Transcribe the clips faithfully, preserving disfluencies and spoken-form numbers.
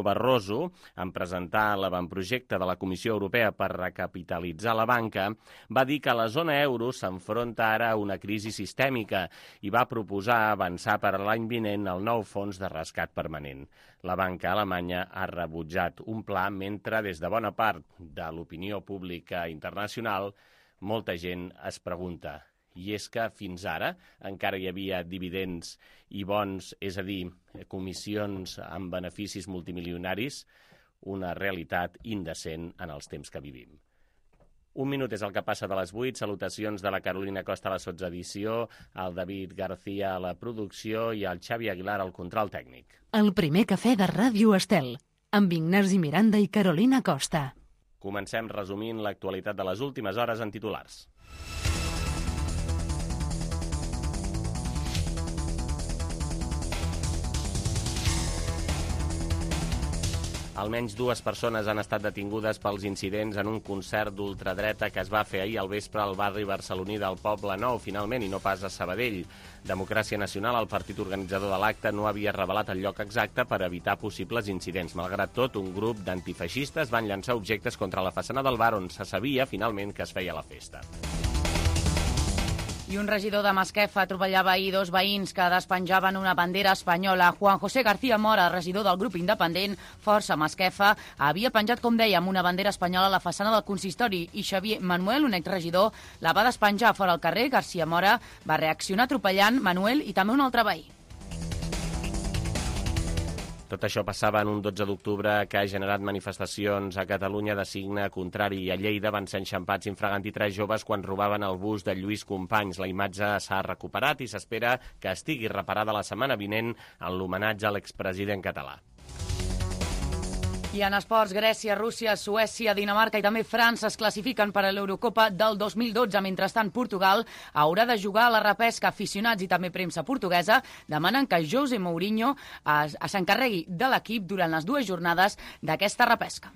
Barroso, en presentar l'avantprojecte de la Comissió Europea per recapitalitzar la banca, va dir que la zona euro s'enfronta ara a una crisi sistèmica i va proposar avançar per l'any vinent el nou fons de rescat permanent. La banca alemanya ha rebutjat un pla mentre des de bona part de l'opinió pública internacional molta gent es pregunta. I és que fins ara encara hi havia dividends i bons, és a dir, comissions amb beneficis multimilionaris, una realitat indecent en els temps que vivim. Un minut és el que passa de les vuit. Salutacions de la Carolina Costa a la sotsedició, al David García a la producció i al Xavi Aguilar al control tècnic. El primer cafè de Ràdio Estel, amb Ignasi Miranda i Carolina Costa. Comencem resumint l'actualitat de les últimes hores en titulars. Almenys dues persones han estat detingudes pels incidents en un concert d'ultradreta que es va fer ahir al vespre al barri barceloní del Poble Nou, finalment, i no pas a Sabadell. Democràcia Nacional, el partit organitzador de l'acte, no havia revelat el lloc exacte per evitar possibles incidents. Malgrat tot, un grup d'antifeixistes van llançar objectes contra la façana del bar on se sabia, finalment, que es feia la festa. I un regidor de Masquefa atropellava ahir dos veïns que despenjaven una bandera espanyola. Juan José García Mora, regidor del grup independent Força Masquefa, havia penjat, com dèiem, una bandera espanyola a la façana del consistori i Xavier Manuel, un exregidor, la va despenjar fora al carrer. García Mora va reaccionar atropellant Manuel i també un altre veí. Tot això passava en un dotze d'octubre que ha generat manifestacions a Catalunya de signe contrari. A Lleida van ser enxampats infraganti tres joves quan robaven el bus de Lluís Companys. La imatge s'ha recuperat i s'espera que estigui reparada la setmana vinent en l'homenatge a l'expresident català. I en esports, Grècia, Rússia, Suècia, Dinamarca i també França es classifiquen per a l'Eurocopa del dos mil dotze. Mentrestant, Portugal haurà de jugar a la repesca. Aficionats i també premsa portuguesa demanen que José Mourinho s'encarregui de l'equip durant les dues jornades d'aquesta repesca.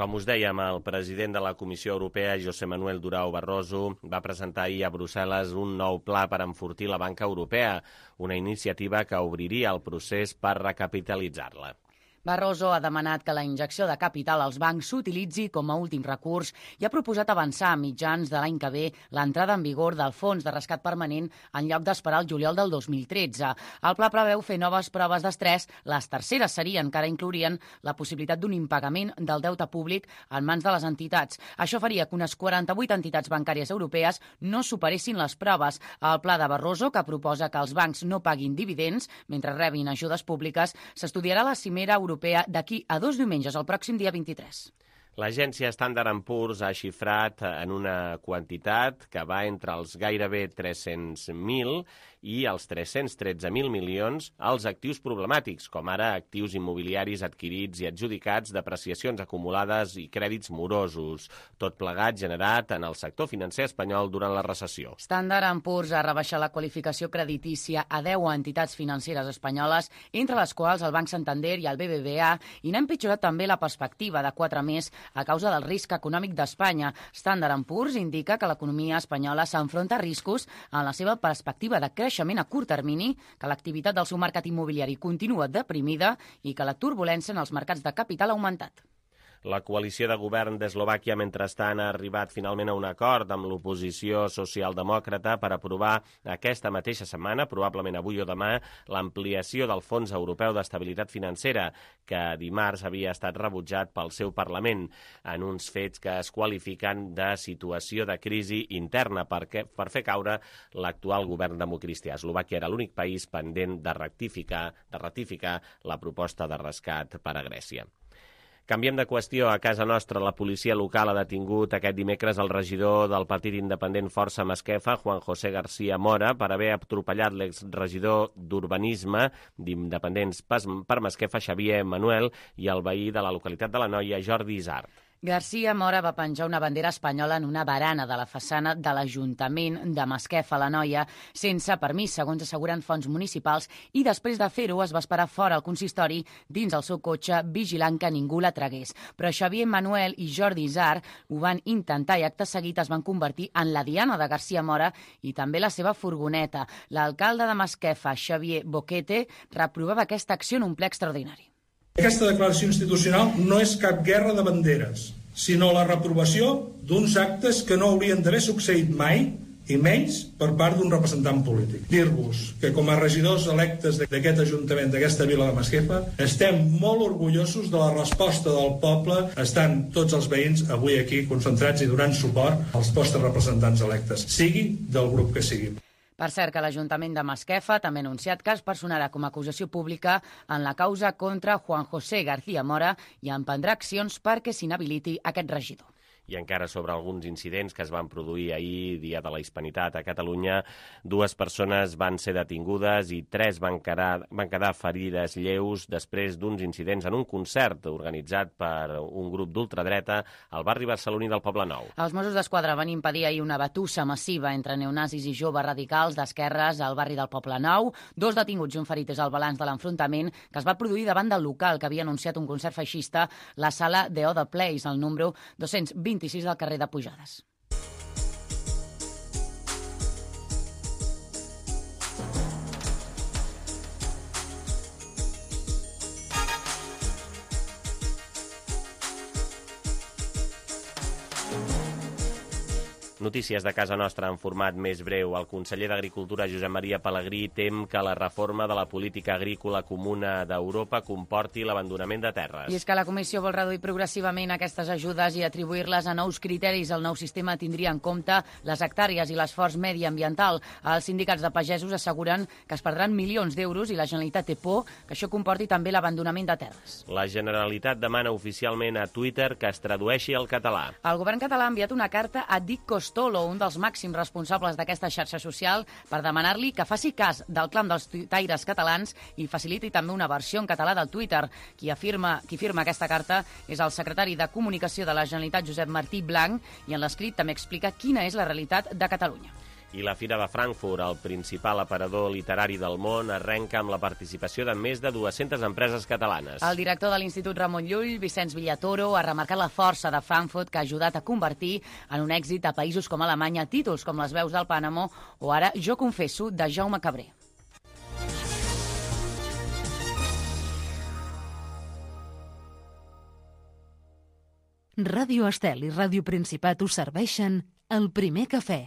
Com us dèiem, el president de la Comissió Europea, José Manuel Durão Barroso, va presentar ahir a Brussel·les un nou pla per enfortir la banca europea, una iniciativa que obriria el procés per recapitalitzar-la. Barroso ha demanat que la injecció de capital als bancs s'utilitzi com a últim recurs i ha proposat avançar a mitjans de l'any que ve l'entrada en vigor del fons de rescat permanent en lloc d'esperar el juliol del dos mil tretze. El pla preveu fer noves proves d'estrès. Les terceres serien que ara inclourien la possibilitat d'un impagament del deute públic en mans de les entitats. Això faria que unes quaranta-vuit entitats bancàries europees no superessin les proves. El pla de Barroso, que proposa que els bancs no paguin dividends mentre rebin ajudes públiques, s'estudiarà a la cimera europea europea d'aquí a dos diumenges, el pròxim dia vint-i-tres. L'agència Standard and Poor's ha xifrat en una quantitat que va entre els gairebé tres-cents mil i els tres-cents tretze mil milions als actius problemàtics, com ara actius immobiliaris adquirits i adjudicats, depreciacions acumulades i crèdits morosos, tot plegat generat en el sector financer espanyol durant la recessió. Standard and Poor's ha rebaixat la qualificació creditícia a deu entitats financeres espanyoles, entre les quals el Banc Santander i el B B V A, i n'ha empitjorat també la perspectiva de quatre més a causa del risc econòmic d'Espanya. Standard and Poor's indica que l'economia espanyola s'enfronta a riscos en la seva perspectiva de creixement a curt termini, que l'activitat del seu mercat immobiliari continua deprimida i que la turbulència en els mercats de capital ha augmentat. La coalició de govern d'Eslovàquia, mentrestant, ha arribat finalment a un acord amb l'oposició socialdemòcrata per aprovar aquesta mateixa setmana, probablement avui o demà, l'ampliació del Fons Europeu d'Estabilitat Financera, que dimarts havia estat rebutjat pel seu Parlament, en uns fets que es qualifiquen de situació de crisi interna perquè, per fer caure l'actual govern democristià. Eslovàquia era l'únic país pendent de rectificar, de ratificar la proposta de rescat per a Grècia. Canviem de qüestió. A casa nostra, la policia local ha detingut aquest dimecres el regidor del partit independent Força Masquefa, Juan José García Mora, per haver atropellat l'exregidor d'Urbanisme d'Independents per Masquefa, Xavier Manuel, i el veí de la localitat de la Noia, Jordi Isart. García Mora va penjar una bandera espanyola en una barana de la façana de l'Ajuntament de Masquefa, la Noia, sense permís, segons asseguren fonts municipals, i després de fer-ho es va esperar fora al consistori dins el seu cotxe vigilant que ningú la tragués. Però Xavier Manuel i Jordi Isar ho van intentar i acte seguit es van convertir en la diana de García Mora i també la seva furgoneta. L'alcalde de Masquefa, Xavier Boquete, reprovava aquesta acció en un ple extraordinari. Aquesta declaració institucional no és cap guerra de banderes, sinó la reprovació d'uns actes que no haurien d'haver succeït mai, i menys per part d'un representant polític. Dir-vos que com a regidors electes d'aquest Ajuntament, d'aquesta vila de Masquefa, estem molt orgullosos de la resposta del poble. Estan tots els veïns avui aquí concentrats i donant suport als vostres representants electes, sigui del grup que sigui. Per cert, que l'Ajuntament de Masquefa també ha anunciat que es personarà com a acusació pública en la causa contra Juan José García Mora i emprendrà accions perquè s'inhabiliti aquest regidor. I encara sobre alguns incidents que es van produir ahir, Dia de la Hispanitat a Catalunya, dues persones van ser detingudes i tres van quedar, van quedar ferides lleus després d'uns incidents en un concert organitzat per un grup d'ultradreta al barri barceloní del Poblenou. Els Mossos d'Esquadra van impedir ahir una batussa massiva entre neonazis i joves radicals d'esquerres al barri del Poblenou. Dos detinguts i un ferit és el balanç de l'enfrontament que es va produir davant del local que havia anunciat un concert feixista, la sala The Other Place, al número dos-cents vint-i-sis del carrer de Pujades. Notícies de casa nostra en format més breu. El conseller d'Agricultura, Josep Maria Pelegrí, tem que la reforma de la política agrícola comuna d'Europa comporti l'abandonament de terres. I és que la Comissió vol reduir progressivament aquestes ajudes i atribuir-les a nous criteris. El nou sistema tindria en compte les hectàrees i l'esforç mediambiental. Els sindicats de pagesos asseguren que es perdran milions d'euros i la Generalitat té por que això comporti també l'abandonament de terres. La Generalitat demana oficialment a Twitter que es tradueixi al català. El govern català ha enviat una carta a Dick Costolo, un dels màxims responsables d'aquesta xarxa social, per demanar-li que faci cas del clam dels tuitaires catalans i faciliti també una versió en català del Twitter. Qui afirma, qui firma aquesta carta és el secretari de Comunicació de la Generalitat, Josep Martí Blanc, i en l'escrit també explica quina és la realitat de Catalunya. I la Fira de Frankfurt, el principal aparador literari del món, arrenca amb la participació de més de dues-centes empreses catalanes. El director de l'Institut Ramon Llull, Vicenç Villatoro, ha remarcat la força de Frankfurt que ha ajudat a convertir en un èxit a països com Alemanya títols com Les veus del Pànamo o ara Jo confesso, de Jaume Cabré. Ràdio Estel i Ràdio Principat us serveixen el primer cafè.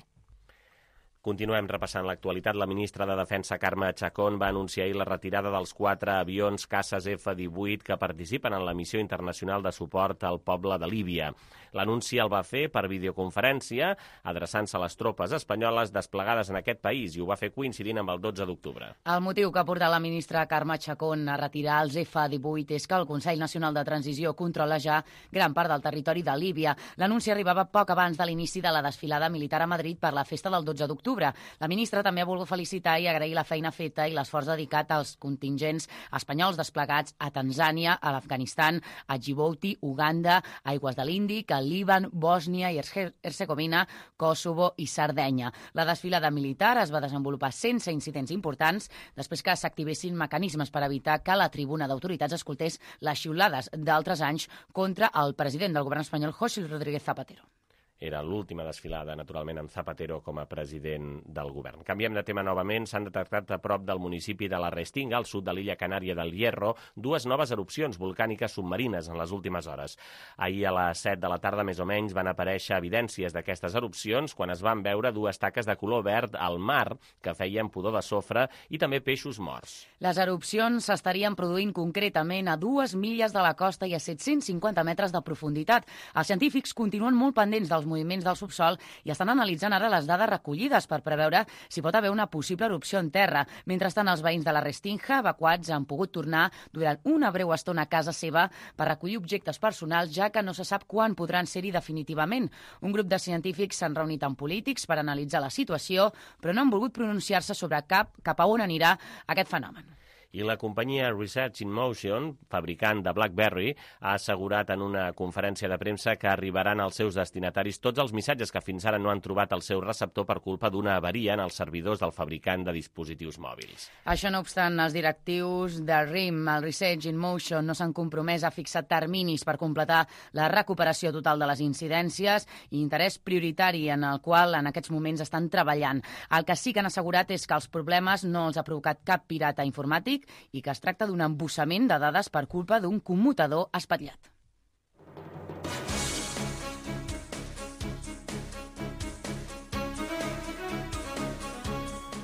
Continuem repassant l'actualitat. La ministra de Defensa, Carme Chacón, va anunciar ahir la retirada dels quatre avions caces F divuit que participen en la missió internacional de suport al poble de Líbia. L'anunci el va fer per videoconferència, adreçant-se a les tropes espanyoles desplegades en aquest país, i ho va fer coincidint amb el dotze d'octubre. El motiu que ha portat la ministra Carme Chacón a retirar els F divuit és que el Consell Nacional de Transició controla ja gran part del territori de Líbia. L'anunci arribava poc abans de l'inici de la desfilada militar a Madrid per la festa del dotze d'octubre. La ministra també ha volgut felicitar i agrair la feina feta i l'esforç dedicat als contingents espanyols desplegats a Tanzània, a l'Afganistan, a Djibouti, Uganda, Aigües de l'Índic, al Líban, Bòsnia i Hercegovina, Kosovo i Sardenya. La desfilada militar es va desenvolupar sense incidents importants després que s'activessin mecanismes per evitar que la tribuna d'autoritats escoltés les xiulades d'altres anys contra el president del govern espanyol, José Rodríguez Zapatero. Era l'última desfilada, naturalment, amb Zapatero com a president del govern. Canviem de tema novament. S'han detectat a prop del municipi de la Restinga, al sud de l'illa Canària del Hierro, dues noves erupcions volcàniques submarines en les últimes hores. Ahir a les set de la tarda, més o menys, van aparèixer evidències d'aquestes erupcions quan es van veure dues taques de color verd al mar que feien pudor de sofre i també peixos morts. Les erupcions s'estarien produint concretament a dues milles de la costa i a set-cents cinquanta metres de profunditat. Els científics continuen molt pendents dels moviments del subsol i estan analitzant ara les dades recollides per preveure si pot haver una possible erupció en terra. Mentrestant, els veïns de la Restinga, evacuats, han pogut tornar durant una breu estona a casa seva per recollir objectes personals, ja que no se sap quan podran ser-hi definitivament. Un grup de científics s'han reunit amb polítics per analitzar la situació, però no han volgut pronunciar-se sobre cap cap a on anirà aquest fenomen. I la companyia Research in Motion, fabricant de BlackBerry, ha assegurat en una conferència de premsa que arribaran als seus destinataris tots els missatges que fins ara no han trobat el seu receptor per culpa d'una avaria en els servidors del fabricant de dispositius mòbils. Això no obstant, els directius de R I M, el Research in Motion, no s'han compromès a fixar terminis per completar la recuperació total de les incidències i interès prioritari en el qual en aquests moments estan treballant. El que sí que han assegurat és que els problemes no els ha provocat cap pirata informàtic i que es tracta d'un embussament de dades per culpa d'un commutador espatllat.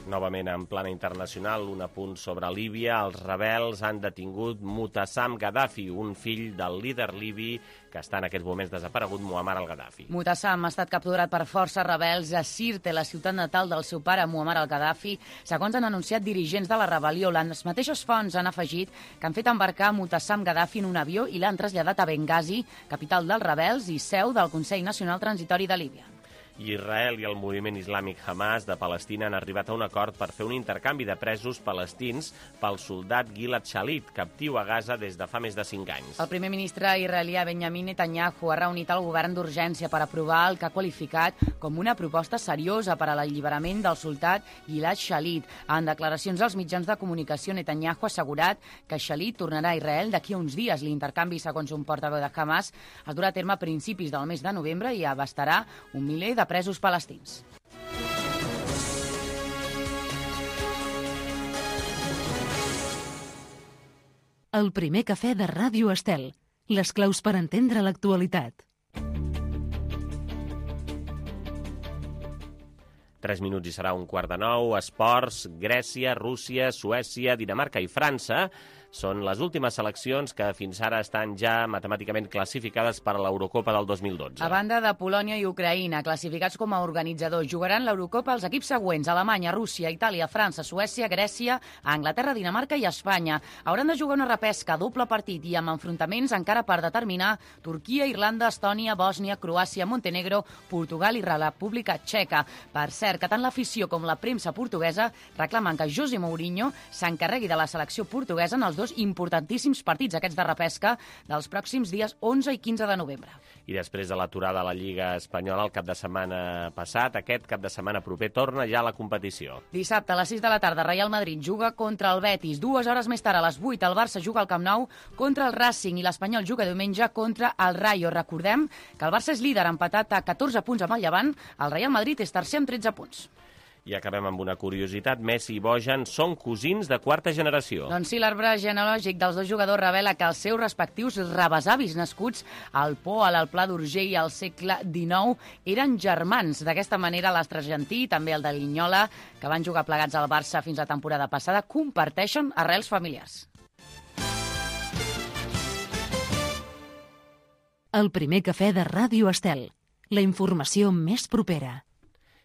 Novament, en plana internacional, un apunt sobre Líbia. Els rebels han detingut Mu'tassam Gaddafi, un fill del líder libi que està en aquests moments desaparegut, Muammar al-Gaddafi. Mu'tassam ha estat capturat per forces rebels a Sirte, la ciutat natal del seu pare, Muammar al-Gaddafi. Segons han anunciat dirigents de la rebel·lió, les mateixes fonts han afegit que han fet embarcar Mu'tassam Gaddafi en un avió i l'han traslladat a Benghazi, capital dels rebels i seu del Consell Nacional Transitori de Líbia. Israel i el moviment islàmic Hamas de Palestina han arribat a un acord per fer un intercanvi de presos palestins pel soldat Gilad Shalit, captiu a Gaza des de fa més de cinc anys. El primer ministre israelià Benjamin Netanyahu ha reunit el govern d'urgència per aprovar el que ha qualificat com una proposta seriosa per a l'alliberament del soldat Gilad Shalit. En declaracions als mitjans de comunicació, Netanyahu ha assegurat que Shalit tornarà a Israel d'aquí a uns dies. L'intercanvi, segons un portaveu de Hamas, es durà a terme a principis del mes de novembre i abastarà un miler de presos palestins. El primer cafè de Ràdio Estel. Les claus per entendre l'actualitat. Tres minuts i serà un quart de nou. Esports, Grècia, Rússia, Suècia, Dinamarca i França són les últimes seleccions que fins ara estan ja matemàticament classificades per a l'Eurocopa del dos mil dotze. A banda de Polònia i Ucraïna, classificats com a organitzadors, jugaran l'Eurocopa els equips següents: Alemanya, Rússia, Itàlia, França, Suècia, Grècia, Anglaterra, Dinamarca i Espanya. Hauran de jugar una repesca a doble partit i amb enfrontaments encara per determinar Turquia, Irlanda, Estònia, Bòsnia, Croàcia, Montenegro, Portugal i la República Txeca. Per cert, que tant l'afició com la premsa portuguesa reclamen que José Mourinho s'encarregui de la selecció portuguesa en els dos importantíssims partits, aquests de repesca, dels pròxims dies onze i quinze de novembre. I després de l'aturada a la Lliga Espanyola el cap de setmana passat, aquest cap de setmana proper torna ja a la competició. Dissabte a les sis de la tarda, Real Madrid juga contra el Betis. Dues hores més tard, a les vuit, el Barça juga al Camp Nou contra el Racing i l'Espanyol juga diumenge contra el Rayo. Recordem que el Barça és líder, empatat a catorze punts amb el Llevant. El Real Madrid és tercer amb tretze punts. I acabem amb una curiositat. Messi i Bojan són cosins de quarta generació. Doncs sí, l'arbre genealògic dels dos jugadors revela que els seus respectius rebesavis nascuts al Poal, al Pla d'Urgell al segle dinou eren germans. D'aquesta manera, l'astre argentí, també el de Linyola, que van jugar plegats al Barça fins la temporada passada, comparteixen arrels familiars. El primer cafè de Ràdio Estel. La informació més propera.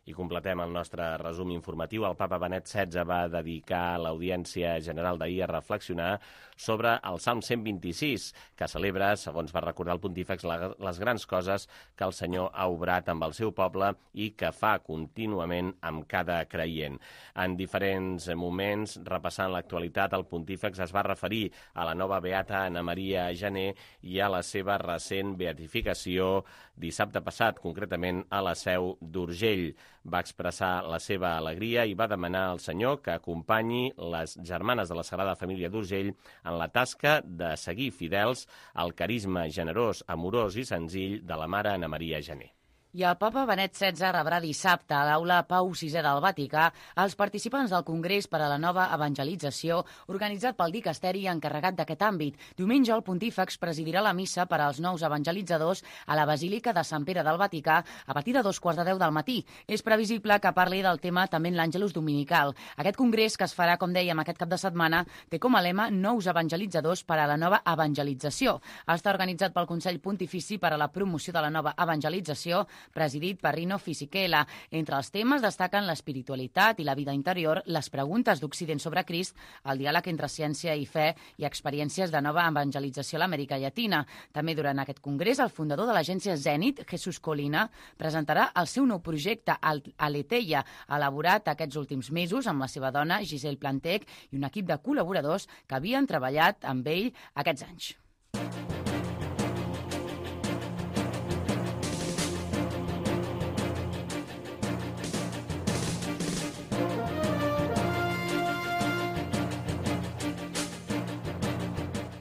I completem el nostre resum informatiu. El papa Benet setze va dedicar l'audiència general d'ahir a reflexionar sobre el Salm cent vint-i-sis, que celebra, segons va recordar el pontífex, les grans coses que el Senyor ha obrat amb el seu poble i que fa contínuament amb cada creient. En diferents moments, repassant l'actualitat, el pontífex es va referir a la nova beata Anna Maria Gené i a la seva recent beatificació dissabte passat, concretament a la Seu d'Urgell. Va expressar la seva alegria i va demanar al Senyor que acompanyi les germanes de la Sagrada Família d'Urgell en la tasca de seguir fidels al carisma generós, amorós i senzill de la mare Anna Maria Gené. I el papa Benet setze rebrà dissabte a l'aula Pau sisè del Vaticà els participants del Congrés per a la Nova Evangelització organitzat pel dicasteri encarregat d'aquest àmbit. Diumenge el pontífex presidirà la missa per als nous evangelitzadors a la Basílica de Sant Pere del Vaticà a partir de dos quarts de deu del matí. És previsible que parli del tema també en l'Àngelus Dominical. Aquest congrés, que es farà, com dèiem, aquest cap de setmana, té com a lema Nous evangelitzadors per a la nova evangelització. Està organitzat pel Consell Pontifici per a la Promoció de la Nova Evangelització, presidit per Rino Fisichella. Entre els temes destaquen l'espiritualitat i la vida interior, les preguntes d'Occident sobre Crist, el diàleg entre ciència i fe i experiències de nova evangelització a l'Amèrica Llatina. També durant aquest congrés, el fundador de l'agència Zenit, Jesús Colina, presentarà el seu nou projecte, Aletheia, elaborat aquests últims mesos amb la seva dona, Giselle Plantec, i un equip de col·laboradors que havien treballat amb ell aquests anys.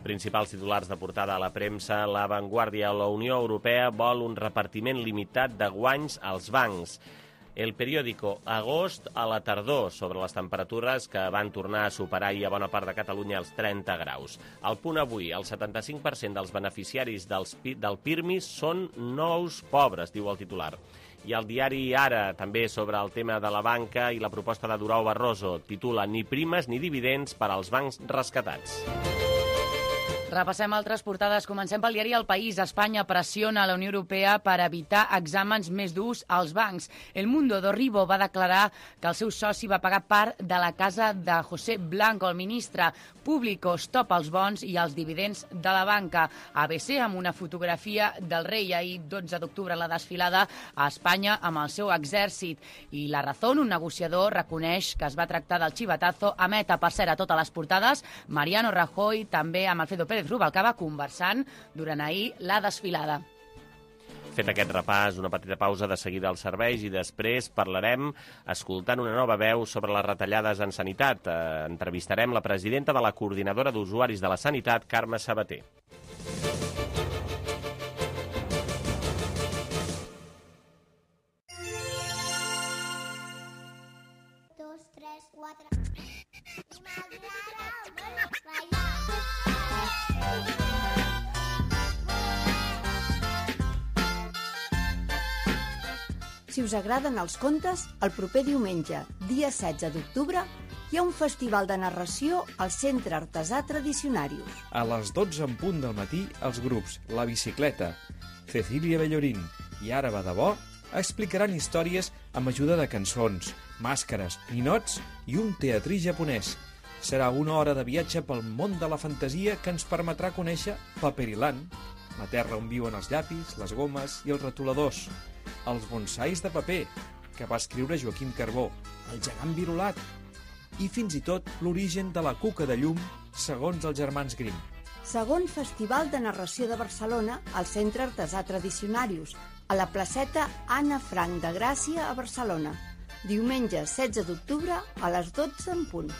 Principals titulars de portada a la premsa, La Vanguardia. La Unió Europea vol un repartiment limitat de guanys als bancs. El periòdico, agost a la tardor, sobre les temperatures que van tornar a superar ahir a bona part de Catalunya els trenta graus. Al Punt avui, el setanta-cinc per cent dels beneficiaris dels, del Pirmi són nous pobres, diu el titular. I el diari Ara, també sobre el tema de la banca i la proposta de Durão Barroso, titula Ni primes ni dividends per als bancs rescatats. Repassem altres portades. Comencem pel diari El País. Espanya pressiona a la Unió Europea per evitar exàmens més durs als bancs. El Mundo d'Orribo va declarar que el seu soci va pagar part de la casa de José Blanco, el ministre. Público stop els bons i els dividends de la banca. A B C amb una fotografia del rei ahir, dotze d'octubre, la desfilada a Espanya amb el seu exèrcit. I La Razón, un negociador, reconeix que es va tractar del xivatazo. Emet, per cert, a totes les portades, Mariano Rajoy, també amb Alfredo Pérez Rubalcaba, conversant durant ahir la desfilada. Fet aquest repàs, una petita pausa, de seguida als serveis i després parlarem escoltant una nova veu sobre les retallades en sanitat. Eh, entrevistarem la presidenta de la Coordinadora d'Usuaris de la Sanitat, Carme Sabater. Dos, tres, quatre... Si us agraden els contes, el proper diumenge, dia setze d'octubre, hi ha un festival de narració al Centre Artesà Tradicionarius. A les dotze en punt del matí, els grups La Bicicleta, Cecília Bellorín i Ara va de bo explicaran històries amb ajuda de cançons, màscares, ninots i un teatrí japonès. Serà una hora de viatge pel món de la fantasia que ens permetrà conèixer Paperiland, la terra on viuen els llapis, les gomes i els retoladors, els bonsais de paper, que va escriure Joaquim Carbó, el gegant virulat, i fins i tot l'origen de la cuca de llum, segons els germans Grimm. Segon Festival de Narració de Barcelona al Centre Artesà Tradicionarius, a la placeta Anna Frank de Gràcia a Barcelona. Diumenge setze d'octubre a les dotze en punt.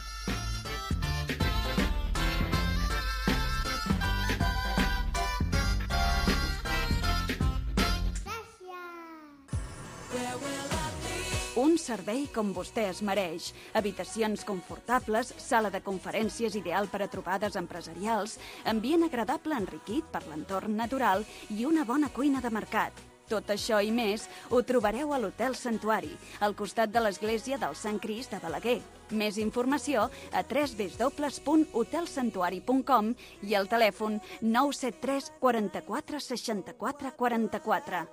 Un servei com vostè es mereix. Habitacions confortables, sala de conferències ideal per a trobades empresarials, ambient agradable enriquit per l'entorn natural i una bona cuina de mercat. Tot això i més ho trobareu a l'Hotel Santuari, al costat de l'església del Sant Crist de Balaguer. Més informació a w w w punt hotel santuari punt com i al telèfon nou set tres quaranta-quatre seixanta-quatre quaranta-quatre.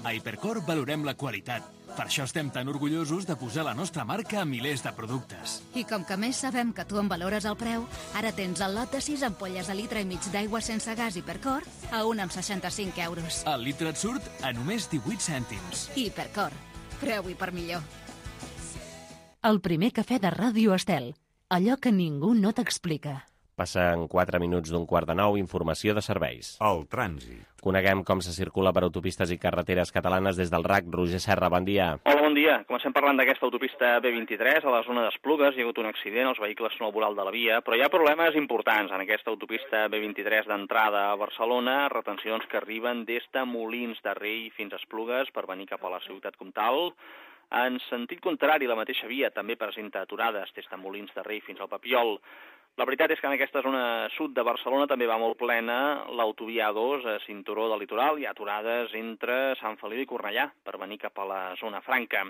A Hipercor valorem la qualitat. Per això estem tan orgullosos de posar la nostra marca a milers de productes. I com que més sabem que tu en valores el preu, ara tens el lot de sis ampolles de litre i mig d'aigua sense gas Hipercor a un amb seixanta-cinc euros. El litre et surt a només divuit cèntims. Hipercor. Preu i per millor. El primer cafè de Ràdio Estel. Allò que ningú no t'explica. Passen quatre minuts d'un quart de nou, informació de serveis. El trànsit. Coneguem com se circula per autopistes i carreteres catalanes des del R A C. Roger Serra, bon dia. Hola, bon dia. Comencem parlant d'aquesta autopista B vint-i-tres, a la zona d'Esplugues. Hi ha hagut un accident, els vehicles són al voral de la via, però hi ha problemes importants en aquesta autopista B vint-i-tres d'entrada a Barcelona, retencions que arriben des de Molins de Rei fins a Esplugues per venir cap a la ciutat comtal. En sentit contrari, la mateixa via també presenta aturades des de Molins de Rei fins al Papiol. La veritat és que en aquesta zona sud de Barcelona també va molt plena l'autovia A dos a cinturó del litoral. Hi ha aturades entre Sant Feliu i Cornellà per venir cap a la zona franca.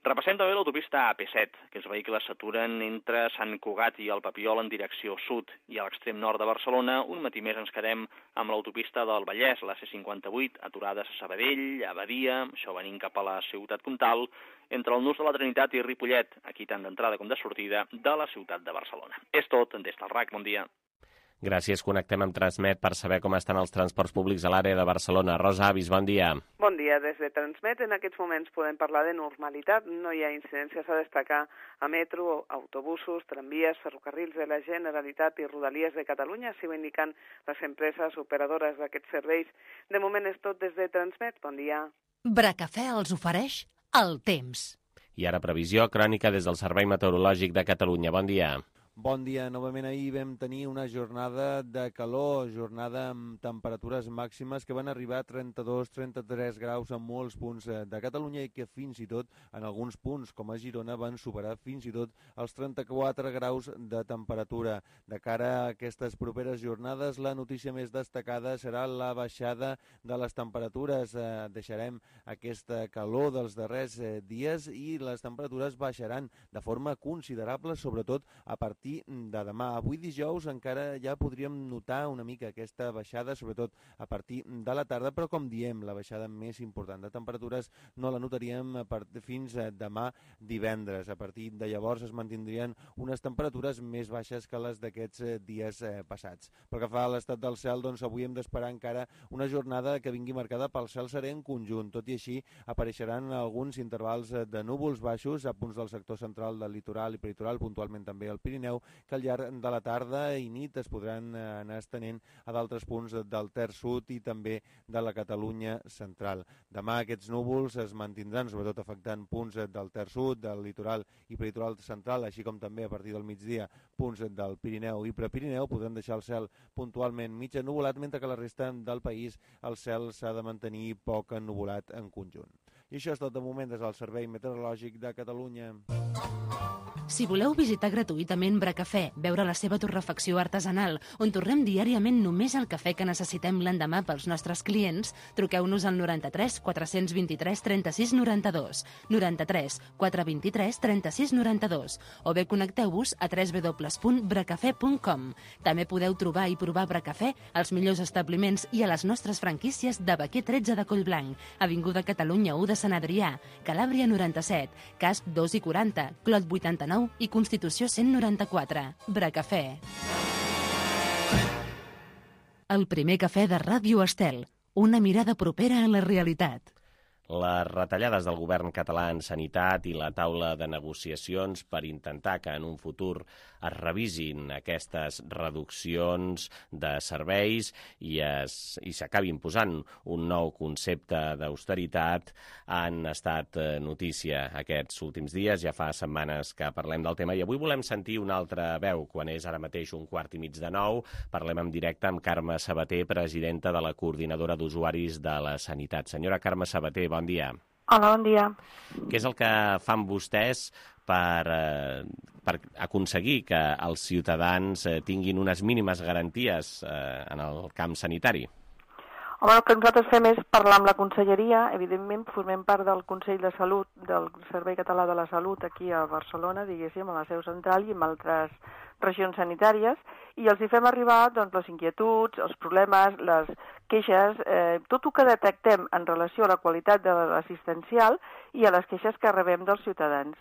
Repassem també l'autopista A P set. Aquests vehicles s'aturen entre Sant Cugat i el Papiol en direcció sud i a l'extrem nord de Barcelona. Un matí més ens quedem amb l'autopista del Vallès, la C cinquanta-vuit, aturades a Sabadell, a Badia, això venint cap a la ciutat comtal, entre el nus de la Trinitat i Ripollet, aquí tant d'entrada com de sortida de la ciutat de Barcelona. És tot, des del R A C, bon dia. Gràcies, connectem amb Transmet per saber com estan els transports públics a l'àrea de Barcelona. Rosa Avis, bon dia. Bon dia, des de Transmet en aquests moments podem parlar de normalitat. No hi ha incidències a destacar a metro, autobusos, tramvies, ferrocarrils de la Generalitat i Rodalies de Catalunya, així ho indiquen les empreses operadores d'aquests serveis. De moment és tot des de Transmet. Bon dia. Bracafè els ofereix el temps. I ara previsió crònica des del Servei Meteorològic de Catalunya. Bon dia. Bon dia. Novament ahir vam tenir una jornada de calor, jornada amb temperatures màximes que van arribar a trenta-dos a trenta-tres graus en molts punts de Catalunya i que fins i tot en alguns punts, com a Girona, van superar fins i tot els trenta-quatre graus de temperatura. De cara a aquestes properes jornades, la notícia més destacada serà la baixada de les temperatures. Eh, deixarem aquesta calor dels darrers eh, dies i les temperatures baixaran de forma considerable, sobretot a partir de demà. Avui dijous encara ja podríem notar una mica aquesta baixada, sobretot a partir de la tarda, però com diem, la baixada més important de temperatures no la notaríem fins demà divendres. A partir de llavors es mantindrien unes temperatures més baixes que les d'aquests dies passats. Pel que fa a l'estat del cel, doncs avui hem d'esperar encara una jornada que vingui marcada pel cel serè en conjunt. Tot i així, apareixeran alguns intervals de núvols baixos a punts del sector central del litoral i peritoral, puntualment també al Pirineu, que al llarg de la tarda i nit es podran anar estenent a d'altres punts del Ter Sud i també de la Catalunya central. Demà aquests núvols es mantindran, sobretot afectant punts del Ter Sud, del litoral i peritoral central, així com també a partir del migdia punts del Pirineu i Prepirineu. Podran deixar el cel puntualment mig ennuvolat, mentre que la resta del país el cel s'ha de mantenir poc ennuvolat en conjunt. I això és tot de moment des del Servei Meteorològic de Catalunya. Si voleu visitar gratuïtament Bracafè, veure la seva torrefacció artesanal, on tornem diàriament només el cafè que necessitem l'endemà pels nostres clients, truqueu-nos al noranta-tres quatre vint-i-tres trenta-sis noranta-dos, noranta-tres quatre vint-i-tres trenta-sis noranta-dos, o bé connecteu-vos a w w w punt bracafè punt com. També podeu trobar i provar Bracafè als millors establiments i a les nostres franquícies de Baquer tretze de Collblanc, Avinguda Catalunya u de Sant Adrià, Calàbria noranta-set, Casp dos i quaranta, Clot vuitanta-nou i Constitució cent noranta-quatre. Bracafè. El primer cafè de Ràdio Estel. Una mirada propera a la realitat. Les retallades del govern català en sanitat i la taula de negociacions per intentar que en un futur es revisin aquestes reduccions de serveis i es, i s'acabin posant un nou concepte d'austeritat han estat notícia aquests últims dies. Ja fa setmanes que parlem del tema i avui volem sentir una altra veu. Quan és ara mateix un quart i mig de nou, parlem en directe amb Carme Sabater, presidenta de la Coordinadora d'Usuaris de la Sanitat. Senyora Carme Sabater, bon dia. Hola, bon dia. Què és el que fan vostès per, eh, per aconseguir que els ciutadans eh, tinguin unes mínimes garanties eh, en el camp sanitari? Home, el que nosaltres fem és parlar amb la conselleria. Evidentment, formem part del Consell de Salut, del Servei Català de la Salut, aquí a Barcelona, diguéssim, a la seu central i en altres regions sanitàries, i els hi fem arribar doncs, les inquietuds, els problemes, les queixes, eh, tot el que detectem en relació a la qualitat de l'assistencial i a les queixes que rebem dels ciutadans.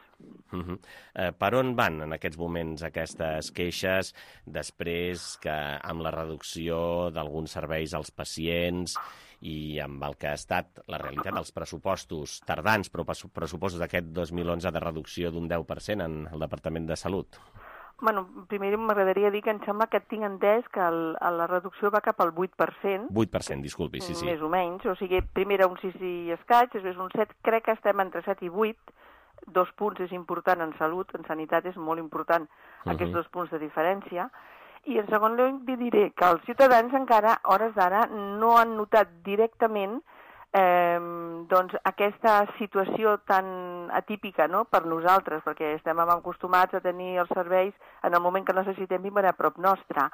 Uh -huh. eh, per on van en aquests moments aquestes queixes després que amb la reducció d'alguns serveis als pacients i amb el que ha estat la realitat dels pressupostos tardans, però pressupostos d'aquest dos mil onze de reducció d'un deu per cent en el Departament de Salut? Bueno, primer m'agradaria dir que em sembla que tinc entès que el, la reducció va cap al vuit per cent. vuit per cent, disculpi, sí, sí. Més o menys, o sigui, primer era un sis i escaig, després un set, crec que estem entre set i vuit, dos punts és important en salut, en sanitat és molt important uh-huh. aquests dos punts de diferència, i en segon lloc diré que els ciutadans encara, a hores d'ara, no han notat directament Eh, doncs aquesta situació tan atípica, no?, per nosaltres, perquè estem acostumats a tenir els serveis en el moment que necessitem i a prop nostre.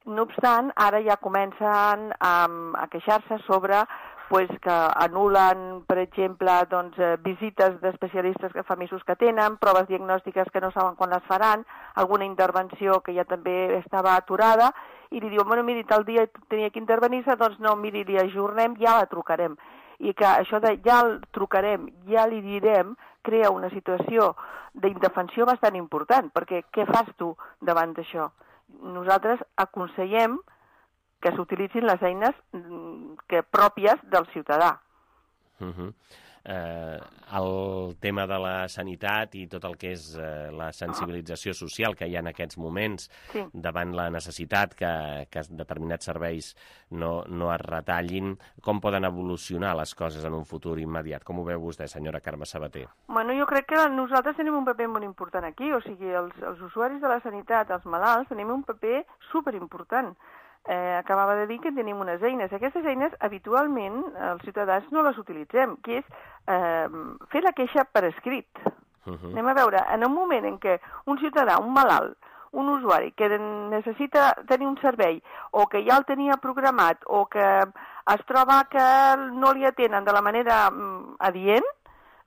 No obstant, ara ja comencen a, a queixar-se sobre pues, que anulen, per exemple, doncs, visites d'especialistes que fa mesos que tenen, proves diagnòstiques que no saben quan les faran, alguna intervenció que ja també estava aturada, i li diuen, bueno, miri, tal dia tenia que intervenir-se, doncs no, miri, li ajornem, ja la trucarem. I que això de ja el trucarem, ja li direm, crea una situació d'indefensió bastant important, perquè què fas tu davant d'això? Nosaltres aconsellem que s'utilitzin les eines que pròpies del ciutadà. Uh-huh. Eh, el tema de la sanitat i tot el que és eh, la sensibilització social que hi ha en aquests moments sí. davant la necessitat que, que determinats serveis no, no es retallin, com poden evolucionar les coses en un futur immediat? Com ho veu vostè, senyora Carme Sabater? Bueno, jo crec que nosaltres tenim un paper molt important aquí, o sigui, els, els usuaris de la sanitat, els malalts, tenim un paper superimportant. Eh, acabava de dir que tenim unes eines. Aquestes eines, habitualment, els ciutadans no les utilitzem, que és eh, fer la queixa per escrit. Uh-huh. Anem a veure, en un moment en què un ciutadà, un malalt, un usuari que necessita tenir un servei o que ja el tenia programat o que es troba que no li atenen de la manera mm, adient,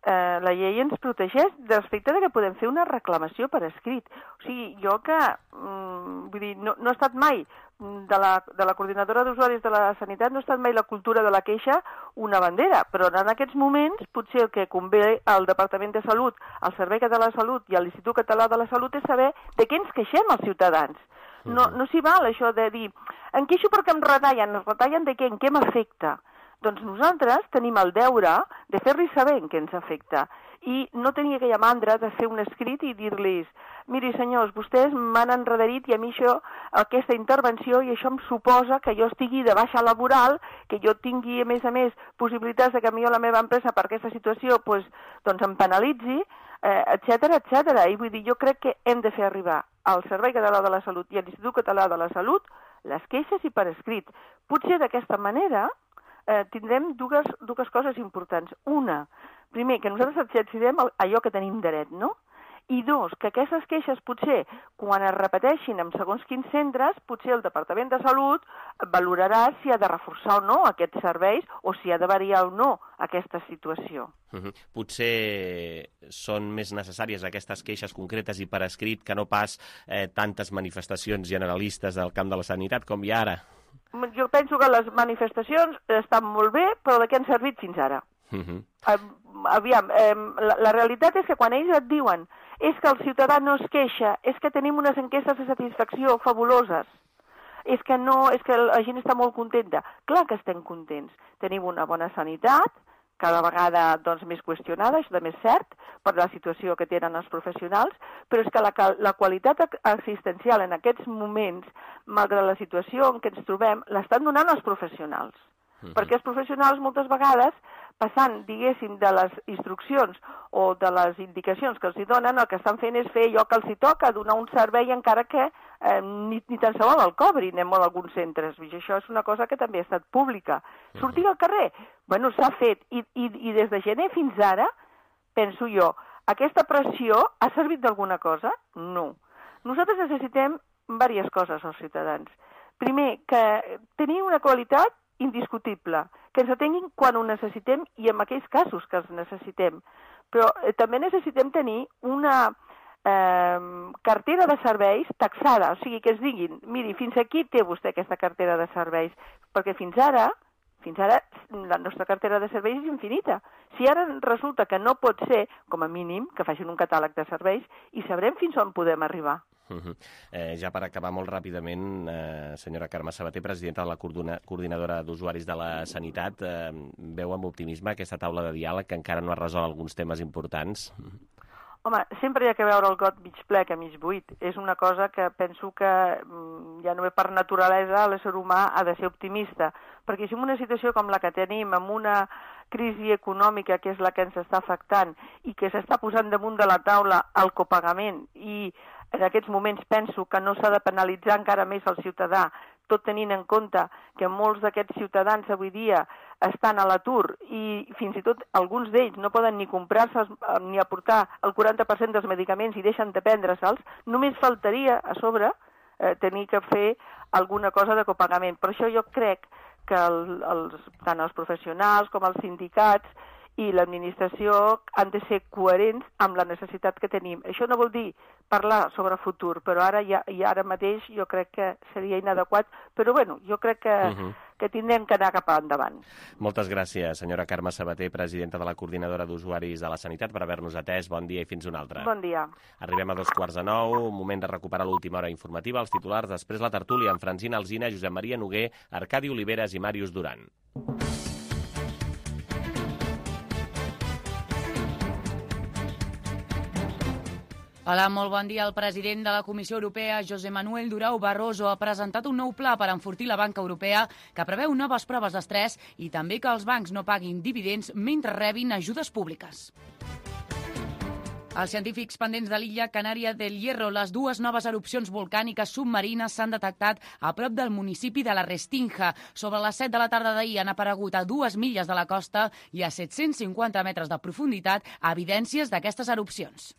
eh, la llei ens protegeix respecte de que podem fer una reclamació per escrit. O sigui, jo que, mm, vull dir, no, no he estat mai de la, de la coordinadora d'usuaris de la sanitat, no ha estat mai la cultura de la queixa una bandera, però en aquests moments potser el que convé al Departament de Salut, al Servei Català de Salut i a l'Institut Català de la Salut és saber de què ens queixem els ciutadans. No, no s'hi val això de dir, em queixo perquè em retallen, es retallen de què, en què m'afecta? Doncs nosaltres tenim el deure de fer-li saber en què ens afecta i no tenir aquella mandra de fer un escrit i dir-los, miri senyors, vostès m'han enrederit i a mi això, aquesta intervenció, i això em suposa que jo estigui de baixa laboral, que jo tingui, a més a més, possibilitats de que a mi o la meva empresa per aquesta situació pues, doncs em penalitzi, eh, etcètera, etcètera. I vull dir, jo crec que hem de fer arribar al Servei Català de la Salut i a l'Institut Català de la Salut les queixes i per escrit. Potser d'aquesta manera eh, tindrem dues, dues coses importants. Una, primer, que nosaltres exercirem allò que tenim dret, no? I dos, que aquestes queixes potser, quan es repeteixin en segons quins centres, potser el Departament de Salut valorarà si ha de reforçar o no aquests serveis o si ha de variar o no aquesta situació. Uh-huh. Potser són més necessàries aquestes queixes concretes i per escrit que no pas eh, tantes manifestacions generalistes del camp de la sanitat com hi ha ara. Jo penso que les manifestacions estan molt bé, però de què han servit fins ara? Uh-huh. Aviam, eh, la, la realitat és que quan ells et diuen és que el ciutadà no es queixa, és que tenim unes enquestes de satisfacció fabuloses, és que, no, és que la gent està molt contenta. Clar que estem contents. Tenim una bona sanitat, cada vegada doncs, més qüestionada, això també és cert, per la situació que tenen els professionals, però és que la, la qualitat assistencial en aquests moments, malgrat la situació en què ens trobem, l'estan donant els professionals. Uh-huh. Perquè els professionals moltes vegades, passant, diguéssim, de les instruccions o de les indicacions que els hi donen, el que estan fent és fer allò que els hi toca, donar un servei encara que eh, ni, ni tan sols el cobrin en alguns centres. I això és una cosa que també ha estat pública. Uh-huh. Sortir al carrer? Bueno, s'ha fet. I, i, I des de gener fins ara, penso jo, aquesta pressió ha servit d'alguna cosa? No. Nosaltres necessitem diverses coses als ciutadans. Primer, que tenir una qualitat indiscutible, que ens atenguin quan ho necessitem i en aquells casos que els necessitem. Però eh, també necessitem tenir una eh, cartera de serveis taxada, o sigui, que es diguin, miri, fins aquí té vostè aquesta cartera de serveis, perquè fins ara, fins ara la nostra cartera de serveis és infinita. Si ara resulta que no pot ser, com a mínim, que facin un catàleg de serveis i sabrem fins on podem arribar. Uh-huh. eh, ja per acabar molt ràpidament, eh, senyora Carme Sabater, presidenta de la coordinadora d'usuaris de la sanitat, eh, veu amb optimisme aquesta taula de diàleg que encara no ha resolt alguns temes importants? Home, sempre hi ha que veure el got mig ple que mig buit. És una cosa que penso que ja no ve per naturalesa l'ésser humà ha de ser optimista, perquè si en una situació com la que tenim, amb una crisi econòmica que és la que ens està afectant i que s'està posant damunt de la taula el copagament i en aquests moments penso que no s'ha de penalitzar encara més el ciutadà, tot tenint en compte que molts d'aquests ciutadans avui dia estan a l'atur i fins i tot alguns d'ells no poden ni comprar-se ni aportar el quaranta per cent dels medicaments i deixen de prendre-se'ls, només faltaria a sobre eh, tenir que fer alguna cosa de copagament. Per això jo crec que el, els, tant els professionals com els sindicats i l'administració han de ser coherents amb la necessitat que tenim. Això no vol dir parlar sobre futur, però ara ja, i ara mateix jo crec que seria inadequat, però bueno, jo crec que, uh -huh. que tindrem que anar cap endavant. Moltes gràcies, senyora Carme Sabater, presidenta de la Coordinadora d'Usuaris de la Sanitat, per haver-nos atès. Bon dia i fins una altra. Bon dia. Arribem a dos quarts de nou, moment de recuperar l'última hora informativa, els titulars, després la tertúlia amb Francina Alsina, Josep Maria Noguer, Arcadi Oliveres i Màrius Duran. Hola, molt bon dia. El president de la Comissió Europea, José Manuel Durão Barroso, ha presentat un nou pla per enfortir la banca europea que preveu noves proves d'estrès i també que els bancs no paguin dividends mentre rebin ajudes públiques. Els científics pendents de l'illa Canària del Hierro, les dues noves erupcions volcàniques submarines s'han detectat a prop del municipi de la Restinga. Sobre les set de la tarda d'ahir han aparegut a dues milles de la costa i a set-cents cinquanta metres de profunditat evidències d'aquestes erupcions.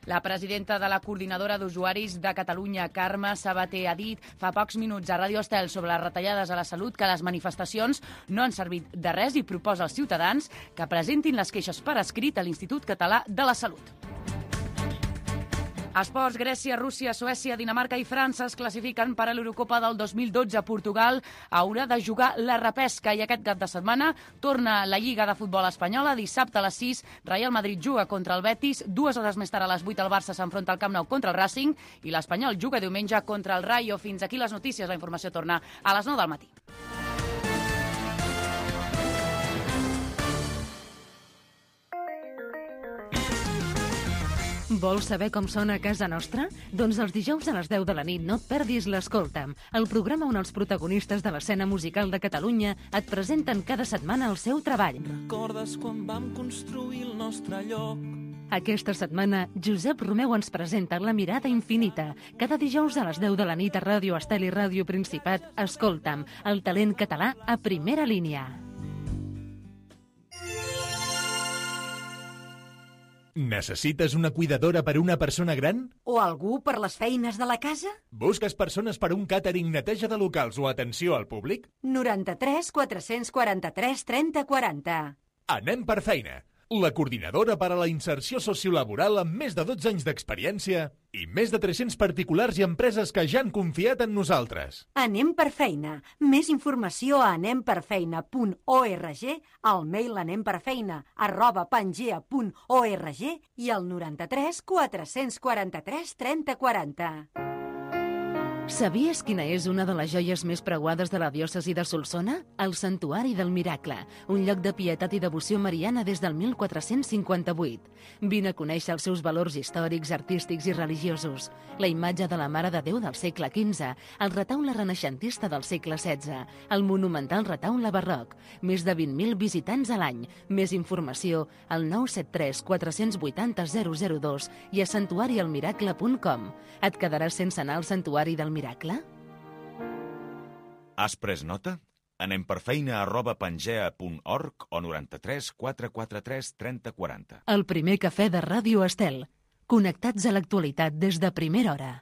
La presidenta de la Coordinadora d'Usuaris de Catalunya, Carme Sabater, ha dit fa pocs minuts a Ràdio Estel sobre les retallades a la salut que les manifestacions no han servit de res i proposa als ciutadans que presentin les queixes per escrit a l'Institut Català de la Salut. Esports, Grècia, Rússia, Suècia, Dinamarca i França es classifiquen per a l'Eurocopa del dos mil dotze. Portugal haurà de jugar la repesca i aquest cap de setmana torna la Lliga de Futbol Espanyola. Dissabte a les sis, Real Madrid juga contra el Betis. Dues hores més tard, a les vuit, el Barça s'enfronta al Camp Nou contra el Racing i l'Espanyol juga diumenge contra el Rayo. Fins aquí les notícies. La informació torna a les nou del matí. Vols saber com sona a casa nostra? Doncs els dijous a les deu de la nit no et perdis l'Escolta'm, el programa on els protagonistes de l'escena musical de Catalunya et presenten cada setmana el seu treball. Recordes quan vam construir el nostre lloc? Aquesta setmana, Josep Romeu ens presenta La mirada infinita. Cada dijous a les deu de la nit a Ràdio Estel i Ràdio Principat, Escolta'm, el talent català a primera línia. Necessites una cuidadora per a una persona gran? O algú per les feines de la casa? Busques persones per a un càtering, neteja de locals o atenció al públic? noranta-tres quatre-cents quaranta-tres trenta quaranta. Anem per feina. La coordinadora per a la inserció sociolaboral amb més de dotze anys d'experiència i més de tres-cents particulars i empreses que ja han confiat en nosaltres. Anem per feina. Més informació a anem per feina punt org, al mail anemperfeina arroba pangea punt org i al noranta-tres quatre-cents quaranta-tres trenta quaranta. Sabies quina és una de les joies més preuades de la diòcesi de Solsona? El Santuari del Miracle, un lloc de pietat i devoció mariana des del mil quatre-cents cinquanta-vuit. Vine a conèixer els seus valors històrics, artístics i religiosos. La imatge de la Mare de Déu del segle quinze, el retaule renaixentista del segle setze, el monumental retaule barroc, més de vint mil visitants a l'any. Més informació al nou set tres quatre vuit zero zero zero dos i a santuari el miracle punt com. Et quedaràs sense anar al Santuari del Miracle? Miracle? Has pres nota? Anem per feina arroba pangea punt org o noranta-tres quatre quaranta-tres trenta quaranta. El primer cafè de Ràdio Estel. Connectats a l'actualitat des de primera hora.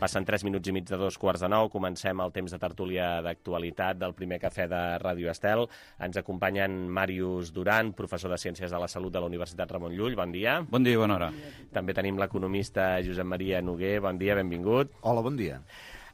Passen tres minuts i mig de dos quarts de nou. Comencem el temps de tertúlia d'actualitat del primer cafè de Ràdio Estel. Ens acompanyen Màrius Duran, professor de Ciències de la Salut de la Universitat Ramon Llull. Bon dia. Bon dia i bona hora. També tenim l'economista Josep Maria Noguer. Bon dia, benvingut. Hola, bon dia.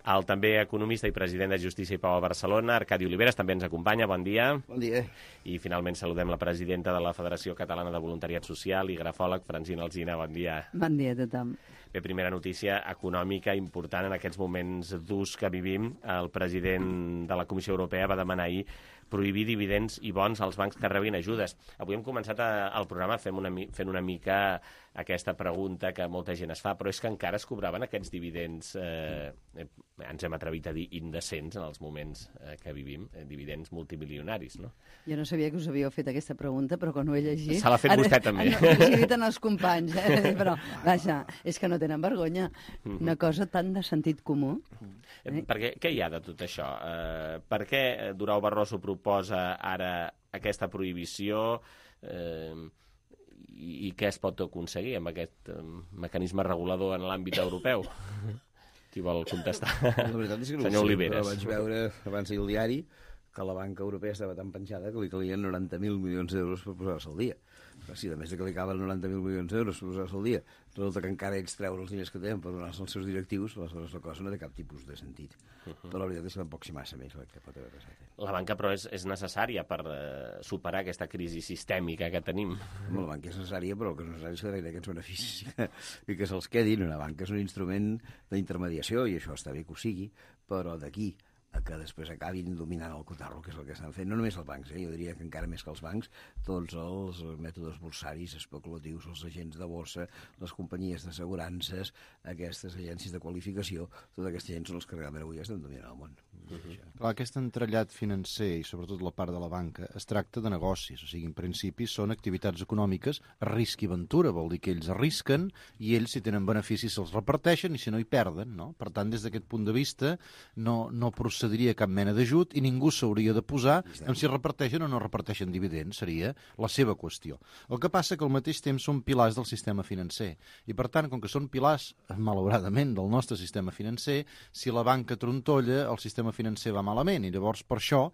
El també economista i president de Justícia i Pau a Barcelona, Arcadi Oliveres, també ens acompanya. Bon dia. Bon dia. I finalment saludem la presidenta de la Federació Catalana de Voluntariat Social i grafòleg, Francina Alsina. Bon dia. Bon dia a tothom. Bé, primera notícia econòmica important en aquests moments durs que vivim. El president de la Comissió Europea va demanar ahir prohibir dividends i bons als bancs que rebin ajudes. Avui hem començat a, el programa fent una, fent una mica aquesta pregunta que molta gent es fa, però és que encara es cobraven aquests dividends, eh, eh, ens hem atrevit a dir indecents en els moments eh, que vivim, eh, dividends multimilionaris, no? Jo no sabia que us havíeu fet aquesta pregunta, però quan ho he llegit... Se l'ha fet vostè, també. No, ho he dit en els companys, eh? Però, vaja, és que no tenen vergonya. Una cosa tan de sentit comú. Eh? Perquè, què hi ha de tot això? Eh, per què Durão Barroso proposa ara aquesta prohibició eh, i, i què es pot aconseguir amb aquest eh, mecanisme regulador en l'àmbit europeu? Qui vol contestar? La veritat és que no Senyor ho sé, Oliveres. però vaig veure abans ahir al diari que la banca europea estava tan penjada que li calien noranta mil milions d'euros per posar-se al dia. Però sí, a més de que li calen noranta mil milions d'euros per posar-se al dia, resulta que encara ells treure els diners que tenen per donar-se als seus directius, aleshores la cosa no té cap tipus de sentit. Uh -huh. Però la veritat és que tampoc s'hi massa més el que pot haver passat. Eh? La banca, però, és, és necessària per eh, superar aquesta crisi sistèmica que tenim. La banca és necessària, però el que és necessari és que d'aquests aquests beneficis i que, i que se'ls quedin. Una banca és un instrument d'intermediació, i això està bé que ho sigui, però d'aquí a que després acabin dominant el cotarro, que és el que estan fent. No només els bancs, eh? Jo diria que encara més que els bancs, tots els mètodes borsaris, especulatius, els agents de borsa, les companyies d'assegurances, aquestes agències de qualificació, tota aquesta gent són els que realment avui estan dominant el món. Uh -huh. Clar, aquest entrellat financer i sobretot la part de la banca es tracta de negocis, o sigui, en principi són activitats econòmiques risc i ventura, vol dir que ells arrisquen i ells, si tenen beneficis, se'ls reparteixen i si no hi perden, no? Per tant, des d'aquest punt de vista no, no procediria cap mena d'ajut i ningú s'hauria de posar en si reparteixen o no reparteixen dividends, seria la seva qüestió. El que passa que al mateix temps són pilars del sistema financer i per tant, com que són pilars, malauradament, del nostre sistema financer, si la banca trontolla, el sistema financer va malament i llavors per això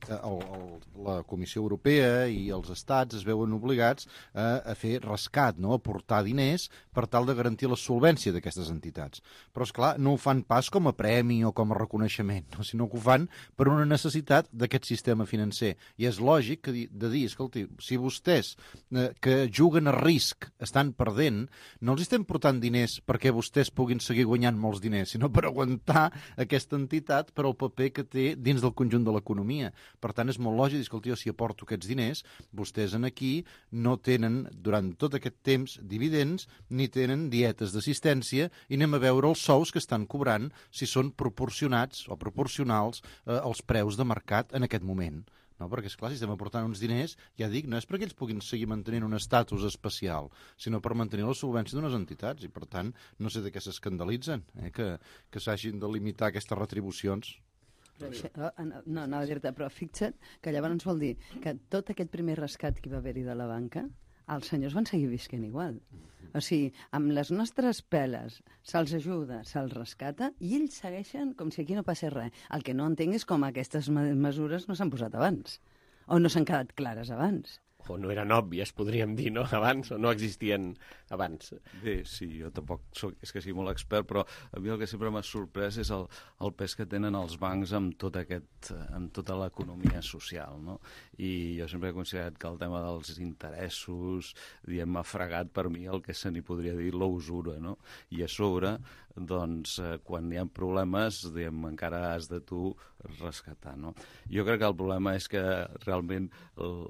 el, el, la Comissió Europea i els estats es veuen obligats a, a fer rescat, no? A aportar diners per tal de garantir la solvència d'aquestes entitats. Però, esclar, no ho fan pas com a premi o com a reconeixement, no? Sinó que ho fan per una necessitat d'aquest sistema financer. I és lògic que de dir, escolti, si vostès eh, que juguen a risc estan perdent, no els estem portant diners perquè vostès puguin seguir guanyant molts diners, sinó per aguantar aquesta entitat per al paper que té dins del conjunt de l'economia. Per tant, és molt lògic dir, escolti, jo si aporto aquests diners, vostès en aquí no tenen, durant tot aquest temps, dividends, ni tenen dietes d'assistència, i anem a veure els sous que estan cobrant, si són proporcionats o proporcionals eh, als preus de mercat en aquest moment. No? Perquè, esclar, si estem aportant uns diners, ja dic, no és perquè ells puguin seguir mantenint un estatus especial, sinó per mantenir la solvència d'unes entitats, i per tant, no sé de què s'escandalitzen, eh? que, que s'hagin de limitar aquestes retribucions. No, anava a dir-te, però fixa't que llavors vol dir que tot aquest primer rescat que va haver-hi de la banca, els senyors van seguir visquent igual. O sigui, amb les nostres peles se'ls ajuda, se'ls rescata i ells segueixen com si aquí no passés res. El que no entenc és com aquestes mesures no s'han posat abans o no s'han quedat clares abans. O no eren òbvies, podríem dir, no? Abans, o no existien abans. Bé, sí, jo tampoc soc, és que sigui molt expert, però a mi el que sempre m'ha sorprès és el, el pes que tenen els bancs amb, tot aquest, amb tota l'economia social, no? I jo sempre he considerat que el tema dels interessos, diguem, m'ha fregat per mi el que se n'hi podria dir l'usura, no? I a sobre, doncs, eh, quan hi ha problemes, diguem, encara has de tu rescatar, no? Jo crec que el problema és que realment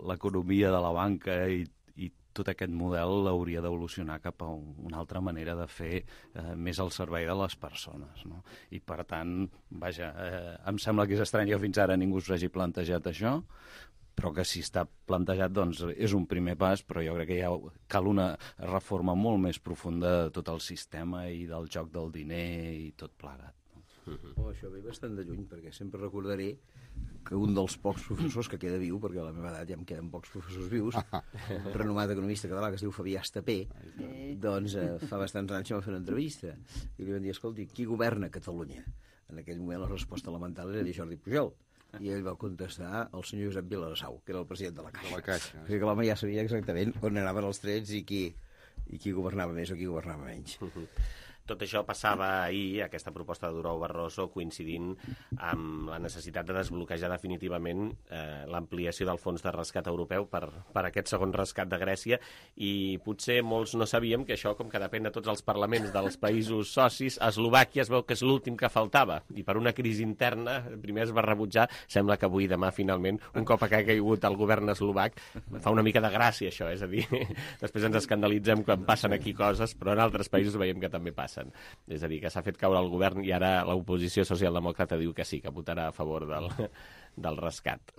l'economia de la banca i, i tot aquest model hauria d'evolucionar cap a un, una altra manera de fer eh, més al servei de les persones, no? I per tant, vaja, eh, em sembla que és estrany que fins ara ningú s'hagi plantejat això, però que si està plantejat doncs és un primer pas, però jo crec que ja cal una reforma molt més profunda de tot el sistema i del joc del diner i tot plegat. Oh, això ve bastant de lluny, perquè sempre recordaré que un dels pocs professors que queda viu, perquè a la meva edat ja em queden pocs professors vius, un renomat economista català que es diu Fabià Estapé, doncs eh, fa bastants anys que va fer una entrevista i li van dir, escolti, qui governa Catalunya? En aquell moment la resposta elemental era dir Jordi Pujol. I ell va contestar el senyor Josep Viladasau, que era el president de la Caixa. De la Caixa. Perquè l'home ja sabia exactament on anaven els trets i qui, i qui governava més o qui governava menys. Uh -huh. Tot això passava ahir, aquesta proposta de Durão Barroso, coincidint amb la necessitat de desbloquejar definitivament eh, l'ampliació del fons de rescat europeu per, per aquest segon rescat de Grècia, i potser molts no sabíem que això, com que depèn de tots els parlaments dels països socis, a Eslovàquia es veu que és l'últim que faltava, i per una crisi interna primer es va rebutjar. Sembla que avui, demà, finalment, un cop que ha caigut el govern eslovac, fa una mica de gràcia això, és a dir, després ens escandalitzem quan passen aquí coses, però en altres països veiem que també passen. És a dir, que s'ha fet caure el govern i ara l'oposició socialdemòcrata diu que sí, que votarà a favor del, del rescat.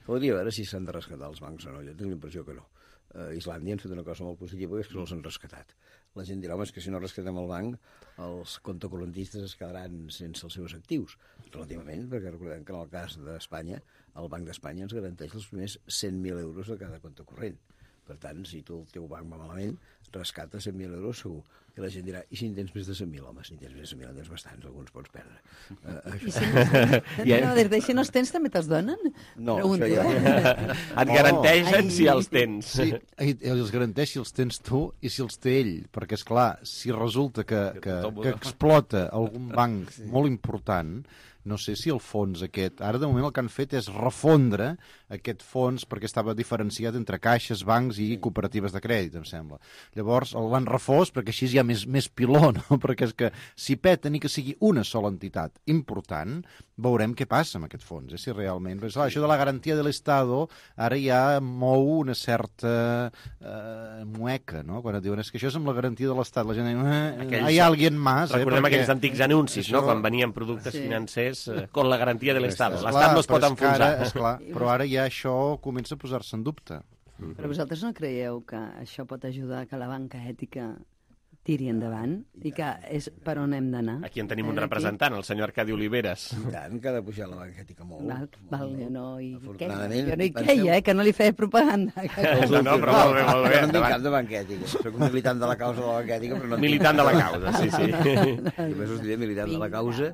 Podria veure si s'han de rescatar els bancs o no. Jo tinc l'impressió que no. Uh, Islàndia han fet una cosa molt positiva, és que no els han rescatat. La gent dirà, home, és que si no rescatem el banc, els comptacorrentistes es quedaran sense els seus actius. Relativament, perquè recordem que en el cas d'Espanya, el Banc d'Espanya ens garanteix els primers cent mil euros de cada compte corrent. Per tant, si tu el teu banc va malament, rescata cent mil euros segur. I la gent dirà, i si en tens més de cent mil? Home, si en tens més de cent mil, en tens bastants, alguns pots perdre. Uh, I si no, yeah. no, des d'així no els tens, també te'ls donen? No, Pregunto, això ja... eh? Et garanteixen oh. si els tens. Sí, els garanteix si els tens tu i si els té ell, perquè, és clar, si resulta que, que, que explota algun banc molt important, no sé si el fons aquest... Ara, de moment, el que han fet és refondre aquest fons perquè estava diferenciat entre caixes, bancs i cooperatives de crèdit, em sembla. Llavors, l'han refós perquè així hi ha més, més piló, no? Perquè és que si peta ni que sigui una sola entitat important, veurem què passa amb aquest fons, eh? Si realment... Però, clar, això de la garantia de l'Estado ara ja mou una certa eh, mueca, no? Quan et diuen, és que això és amb la garantia de l'Estat. La gent diu, eh, hi ha alguien más. Recordem eh? Perquè... aquells antics anuncis, això... no? Quan venien productes sí. financers con la garantia de l'Estat. L'Estat no es pot enfonsar. Ara, esclar, però ara ja això comença a posar-se en dubte. Però vosaltres no creieu que això pot ajudar que la banca ètica tiri endavant i que és per on hem d'anar? Aquí en tenim un representant, el senyor Arcadi Oliveres. I tant, que ha de pujar la banca ètica molt. Val, val, jo no hi queia, jo no hi queia, eh, que no li feia propaganda. No, no, però molt bé, molt bé. Jo no tinc cap de banca ètica. Soc un militant de la causa de la banca ètica, però no... Militant de la causa, sí, sí. Només us diré militant de la causa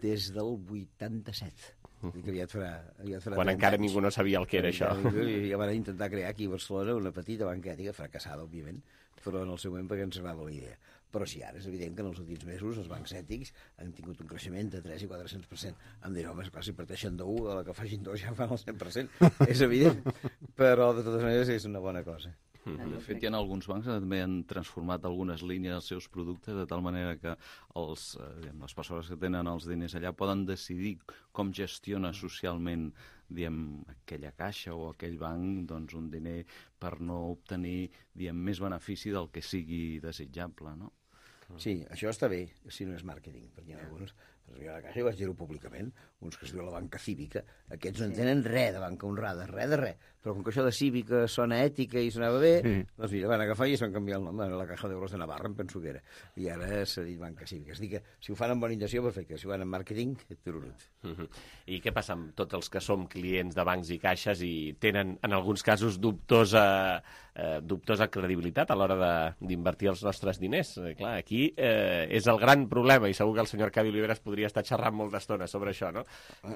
des del vuitanta-set. Que aviat farà, aviat farà quan encara anys. Ningú no sabia el que era això. Ja van intentar crear aquí a Barcelona una petita banca ètica, fracassada, òbviament, però en el seu moment perquè ens agrada la idea. Però sí, ara és evident que en els últims mesos els bancs ètics han tingut un creixement de tres i quatre-cents per cent. Em diré, home, esclar, si parteixen d'un, a la que facin dos ja fan el cent per cent. És evident, però de totes maneres és una bona cosa. De fet, hi ha alguns bancs que també han transformat algunes línies dels seus productes de tal manera que els, eh, les persones que tenen els diners allà poden decidir com gestiona socialment diem, aquella caixa o aquell banc doncs, un diner per no obtenir diem, més benefici del que sigui desitjable, no? Sí, això està bé, si no és màrqueting, perquè hi ha alguns, però jo a la caixa vaig dir-ho públicament, uns que es diu la banca cívica, aquests no entenen res de banca honrada, res de res, però com que això de cívica sona ètica i sonava bé, sí. Doncs mira, van agafar i es van canviar el nom, a la Caja d'Euros de Navarra, em penso que era, i ara s'ha dit banca cívica. És dir que si ho fan amb bona intenció, perfecte, si ho fan amb màrqueting, tururut. Uh-huh. I què passa amb tots els que som clients de bancs i caixes i tenen, en alguns casos, dubtosa, eh, dubtosa credibilitat a l'hora d'invertir els nostres diners? Eh, clar, aquí eh, és el gran problema, i segur que el senyor Arcadi Oliveres podria estar xerrant molta estona sobre això, no?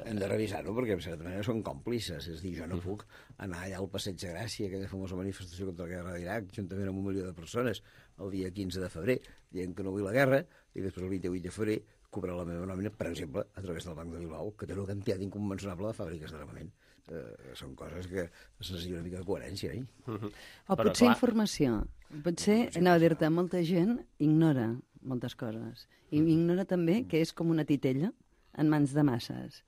Hem de revisar-ho, perquè en certa manera són còmplices, és dir, jo no puc anar allà al Passeig de Gràcia, aquella famosa manifestació contra la guerra d'Iraq, juntament amb un milió de persones, el dia quinze de febrer, dient que no vull la guerra, i després el vint-i-vuit de febrer cobrar la meva nòmina, per exemple, a través del Banc de Bilbao, que té una quantitat inconmensurable de fàbriques d'armament. Eh, són coses que es necessita una mica de coherència, eh? Uh-huh. O Però, potser clar... informació. Potser, anava a dir-te, molta gent ignora moltes coses. I ignora també que és com una titella en mans de masses.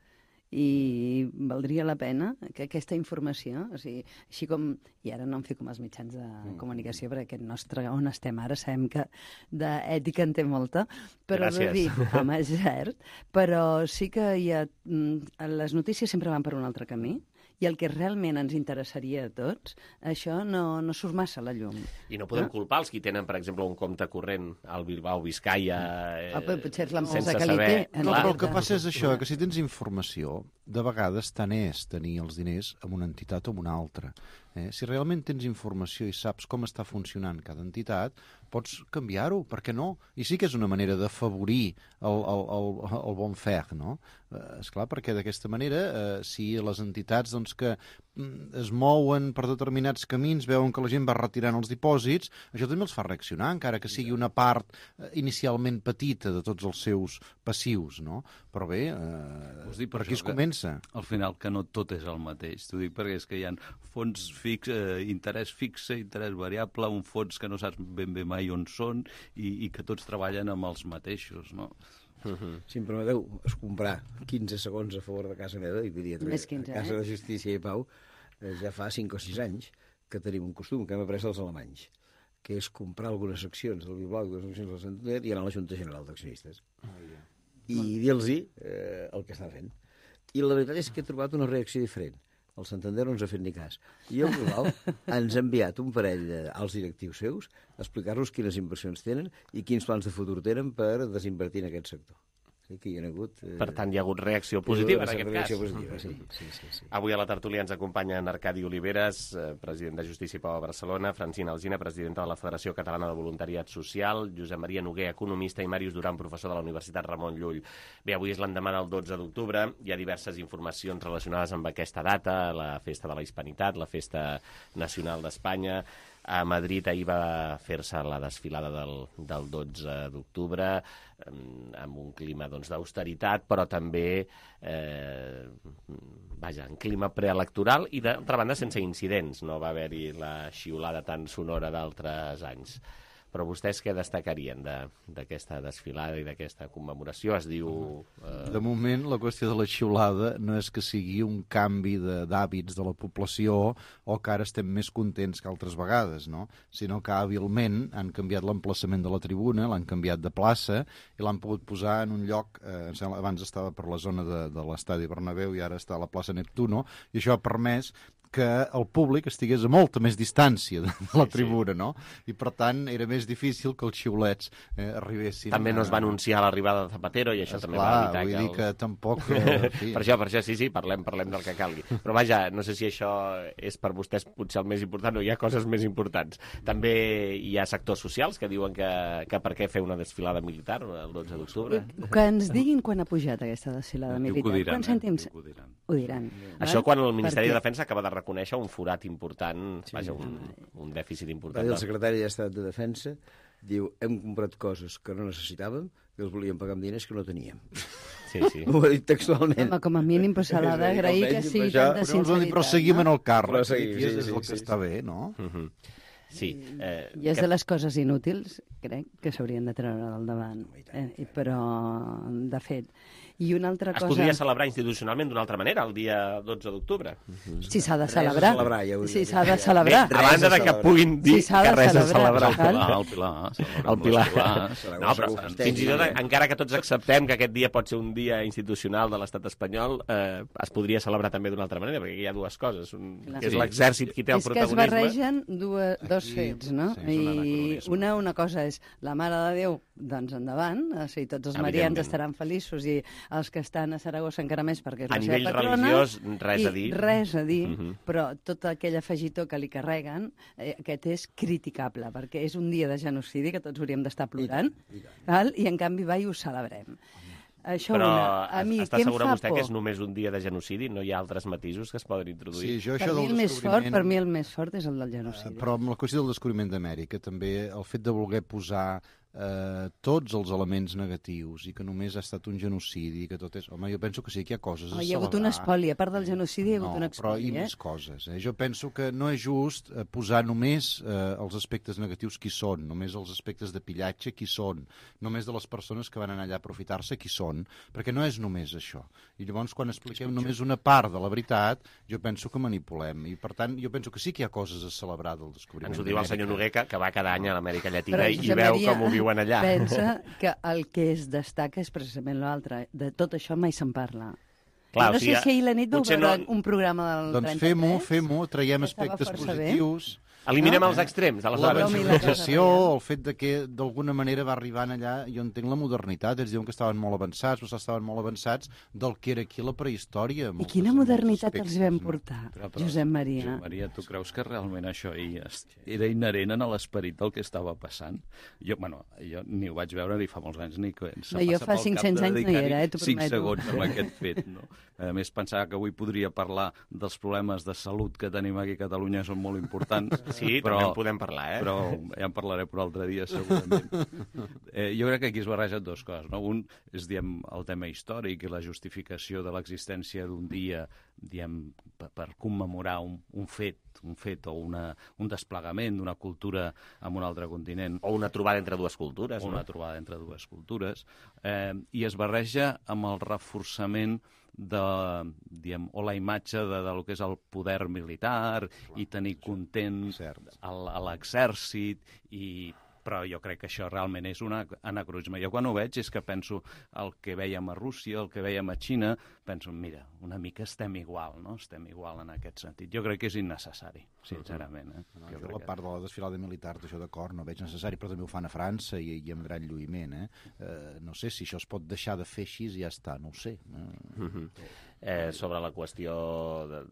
I valdria la pena que aquesta informació, o sigui, així com, i ara no em fico amb els mitjans de comunicació, perquè aquest nostre, on estem ara, sabem que d'ètica en té molta, però Gràcies. De dir, home, és cert, però sí que hi ha, les notícies sempre van per un altre camí, i el que realment ens interessaria a tots, això no, no surt massa a la llum. I no podem no? culpar els qui tenen, per exemple, un compte corrent al Bilbao, Biscaia, eh, ah, potser és l'empresa que li té. No, però el que passa és això, que si tens informació, de vegades tant és tenir els diners en una entitat o en una altra. Eh? Si realment tens informació i saps com està funcionant cada entitat, pots canviar-ho, per què no? I sí que és una manera d'afavorir el, el, el, el bon fer, no? Eh, esclar, perquè d'aquesta manera, eh, si les entitats doncs, que mm, es mouen per determinats camins, veuen que la gent va retirant els dipòsits, això també els fa reaccionar, encara que sigui una part eh, inicialment petita de tots els seus passius, no? Però bé, eh, per aquí es comença. Al final, que no tot és el mateix. T'ho dic perquè és que hi ha fons fix, eh, interès fixe, interès variable, un fons que no saps ben bé mai on són i, i que tots treballen amb els mateixos, no? Uh-huh. Si em permeteu, es comprar quinze segons a favor de casa meva, i diria, Més quinze, a Casa eh? de Justícia i Pau, eh, ja fa cinc o sis anys que tenim un costum que hem après dels alemanys, que és comprar algunes accions del Bilbao i algunes accions del Santander i anar a la Junta General d'Accionistes. Oh, yeah. I dir-los eh, el que està fent. I la veritat és que he trobat una reacció diferent. El Santander no ens ha fet ni cas. I el Bilbao ens ha enviat un parell d'alts directius seus a explicar-nos quines inversions tenen i quins plans de futur tenen per desinvertir en aquest sector. Que hi ha hagut, eh... Per tant, hi ha hagut reacció positiva en aquest reacció cas. Positiva, sí, sí, sí, sí. Avui a la tertúlia ens acompanyen Arcadi Oliveres, eh, president de Justícia i Pau a Barcelona, Francina Alsina, presidenta de la Federació Catalana de Voluntariat Social, Josep Maria Noguer, economista, i Màrius Duran, professor de la Universitat Ramon Llull. Bé, avui és l'endemà del dotze d'octubre, hi ha diverses informacions relacionades amb aquesta data, la festa de la Hispanitat, la festa nacional d'Espanya. A Madrid ahir va fer-se la desfilada del, del dotze d'octubre amb un clima doncs, d'austeritat, però també eh, vaja, en clima preelectoral i d'altra banda sense incidents. No va haver-hi la xiulada tan sonora d'altres anys. Però vostès què destacarien d'aquesta desfilada i d'aquesta commemoració? Es diu... Eh... De moment, la qüestió de la xiulada no és que sigui un canvi d'hàbits de, de la població o que ara estem més contents que altres vegades, no? Sinó que hàbilment han canviat l'emplaçament de la tribuna, l'han canviat de plaça i l'han pogut posar en un lloc, eh, abans estava per la zona de, de l'estadi Bernabéu i ara està a la plaça Neptuno, i això ha permès que el públic estigués a molta més distància de la tribuna, no? I, per tant, era més difícil que els xiulets eh, arribessin... També no es va anunciar l'arribada de Zapatero i això Esclar, també va evitar vull que... dir el... que tampoc... Eh, sí. Per això, per això, sí, sí, parlem, parlem del que calgui. Però vaja, no sé si això és per vostès potser el més important o hi ha coses més importants. També hi ha sectors socials que diuen que, que per què fer una desfilada militar el dotze d'octubre. Que ens diguin quan ha pujat aquesta desfilada militar. Diran, Quants cèntims? Ho diran. Ho diran. Això quan el Ministeri de Defensa acaba de reconèixer un forat important, sí, vaja, un, un dèficit important. El secretari d'Estat de Defensa diu, hem comprat coses que no necessitàvem, que els volíem pagar amb diners que no teníem. Sí, sí. Ho ha dit textualment. Home, com a mínim, pues, s'ha d'agrair que sigui tanta sinceritat. Però seguim en el càrrec, sí, sí, és sí, el que sí, està sí. bé, no? Uh -huh. Sí. Eh, I és que... de les coses inútils, crec, que s'haurien de treure al davant. Eh, però, de fet... I una altra es cosa... podria celebrar institucionalment d'una altra manera el dia dotze d'octubre. Si s'ha de celebrar. celebrar ja si s'ha de celebrar. Bé, a banda de que puguin dir si que res a celebrar. El Pilar, el Pilar. El Pilar. No, però fins i tot, encara que tots acceptem que aquest dia pot ser un dia institucional de l'estat espanyol, eh, es podria celebrar també d'una altra manera, perquè hi ha dues coses. Un, que és l'exèrcit qui té el protagonisme. És que es barregen dues, dos fets, no? Sí, I una, una cosa és la Mare de Déu, doncs endavant, o sigui, tots els marians estaran feliços i els que estan a Saragossa encara més perquè és la seva patrona. A nivell religiós, res a dir. Res a dir, uh -huh. però tot aquell afegitó que li carreguen, eh, aquest és criticable, perquè és un dia de genocidi que tots hauríem d'estar plorant, I, i, val? I en canvi va i ho celebrem. Això però una, a mi, està què em segura fa vostè por? que és només un dia de genocidi? No hi ha altres matisos que es poden introduir? Sí, jo, per, això mi del el més descobriment... fort, per mi el més fort és el del genocidi. Uh, però amb la qüestió del descobriment d'Amèrica, també el fet de voler posar eh, tots els elements negatius i que només ha estat un genocidi, que tot és... Home, jo penso que sí que hi ha coses a oh, celebrar. Hi ha hagut un espoli, a part del genocidi hi ha hagut no, un espoli, però hi ha eh? més coses. Eh? Jo penso que no és just eh, posar només eh, els aspectes negatius qui són, només els aspectes de pillatge qui són, només de les persones que van anar allà a aprofitar-se qui són, perquè no és només això. I llavors, quan expliquem només una part de la veritat, jo penso que manipulem. I, per tant, jo penso que sí que hi ha coses a celebrar del descobriment. Ens ho diu el senyor Noguer, que, que va cada any a l'Amèrica Llatina Però, i, i veu Maria, com ho viuen allà. Pensa que el que es destaca és precisament l'altre. De tot això mai se'n parla. Clar, no o sigui, sé si ahir la nit vau veure no... un programa del doncs trenta-tres. fem-ho, fem-ho, traiem Estava aspectes força positius... bé. Eliminem els extrems, aleshores. La civilització, el fet de que d'alguna manera va arribant allà, jo entenc la modernitat, ells diuen que estaven molt avançats, però estaven molt avançats del que era aquí la prehistòria. I quina modernitat els vam portar, Josep Maria? Josep Maria, tu creus que realment això era inherent a l'esperit del que estava passant? Jo, bueno, jo ni ho vaig veure ni fa molts anys ni que no, jo fa cinc-cents anys no hi era, eh, t'ho prometo. cinc segons amb aquest fet, no? A més, pensava que avui podria parlar dels problemes de salut que tenim aquí a Catalunya, són molt importants. Sí, però, també en podem parlar, eh? Però ja en parlaré per altre dia, segurament. Eh, jo crec que aquí es barregen dues coses, no? Un és, diem, el tema històric i la justificació de l'existència d'un dia, diem, per, per commemorar un, un fet, un fet o una, un desplegament d'una cultura en un altre continent. O una trobada entre dues cultures. O una no? trobada entre dues cultures. Eh, I es barreja amb el reforçament de, diem, o la imatge de, de lo que és el poder militar i tenir content a l'exèrcit i però jo crec que això realment és un anacronisme. Jo quan ho veig és que penso el que vèiem a Rússia, el que vèiem a Xina, penso, mira, una mica estem igual, no? Estem igual en aquest sentit. Jo crec que és innecessari, sincerament. Eh? No, jo, jo la part de la desfilada militar, d'això d'acord, no veig necessari, però també ho fan a França i, i amb gran lluïment. Eh? Eh, no sé si això es pot deixar de fer així i ja està, no ho sé. Eh? Mm-hmm. Eh, sobre la qüestió de,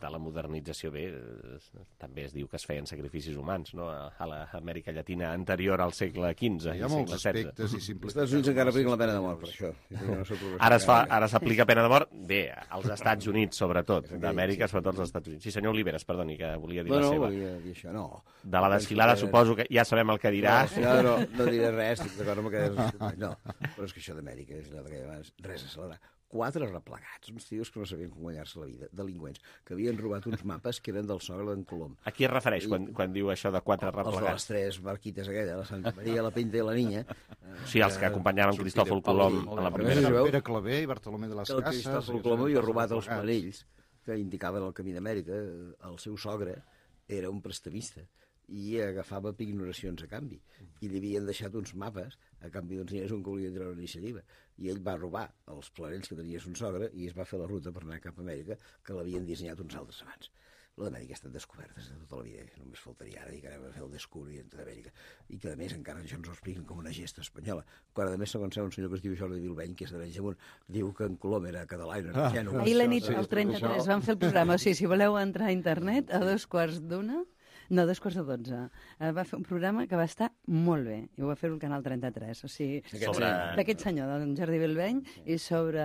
de la modernització, bé, eh, també es diu que es feien sacrificis humans, no?, a, a l'Amèrica Llatina anterior al segle quinze. Hi ha molts aspectes i simples. Els Estats Units encara apliquen la pena de mort, per això. Ara es fa, ara s'aplica pena de mort, bé, als Estats Units, sobretot, d'Amèrica, sobretot als Estats Units. Sí, senyor Oliveres, perdoni, que volia dir no, la no, seva. No, volia dir això, no. De la desfilada, que... suposo que ja sabem el que dirà. No, no, no diré res, estic d'acord amb que... No, però és que això d'Amèrica és allò que abans, res a celebrar. Quatre replegats, uns tios que no sabien com guanyar-se la vida, delinqüents, que havien robat uns mapes que eren del sogre d'en Colom. A qui es refereix I, quan, quan diu això de quatre replegats? Els de les tres barquites aquella, la Santa Maria, la Pinta i la Niña. Sí, els que acompanyaven Cristòfol Colom a la primera. Pere Claver i Bartolomé de les Cases. El Cristòfol Colom havia robat els panells que indicaven el camí d'Amèrica. El seu sogre era un prestamista i agafava pignoracions a canvi. I li havien deixat uns mapes a canvi d'uns diners on que volia treure iniciativa. I ell va robar els planells que tenia son sogre i es va fer la ruta per anar cap a Amèrica, que l'havien dissenyat uns altres abans. La d'Amèrica ha estat descoberta de tota la vida. Només faltaria ara dir que anem a fer el descobriment d'Amèrica. I que, a més, encara això ens ho expliquen com una gesta espanyola. Quan, a més, segons un senyor que es diu Jordi Vilbeny, que és d'Arenys de Munt, diu que en Colom era català i no era gènova. Ahir la nit, al trenta-tres, vam fer el programa. O sigui, si voleu entrar a internet, a dos quarts d'una... No, dos quarts de dotze. Uh, va fer un programa que va estar molt bé, i ho va fer al Canal trenta-tres. O sigui, sobre... d'aquest senyor, d'en Jordi Belbeny, i sobre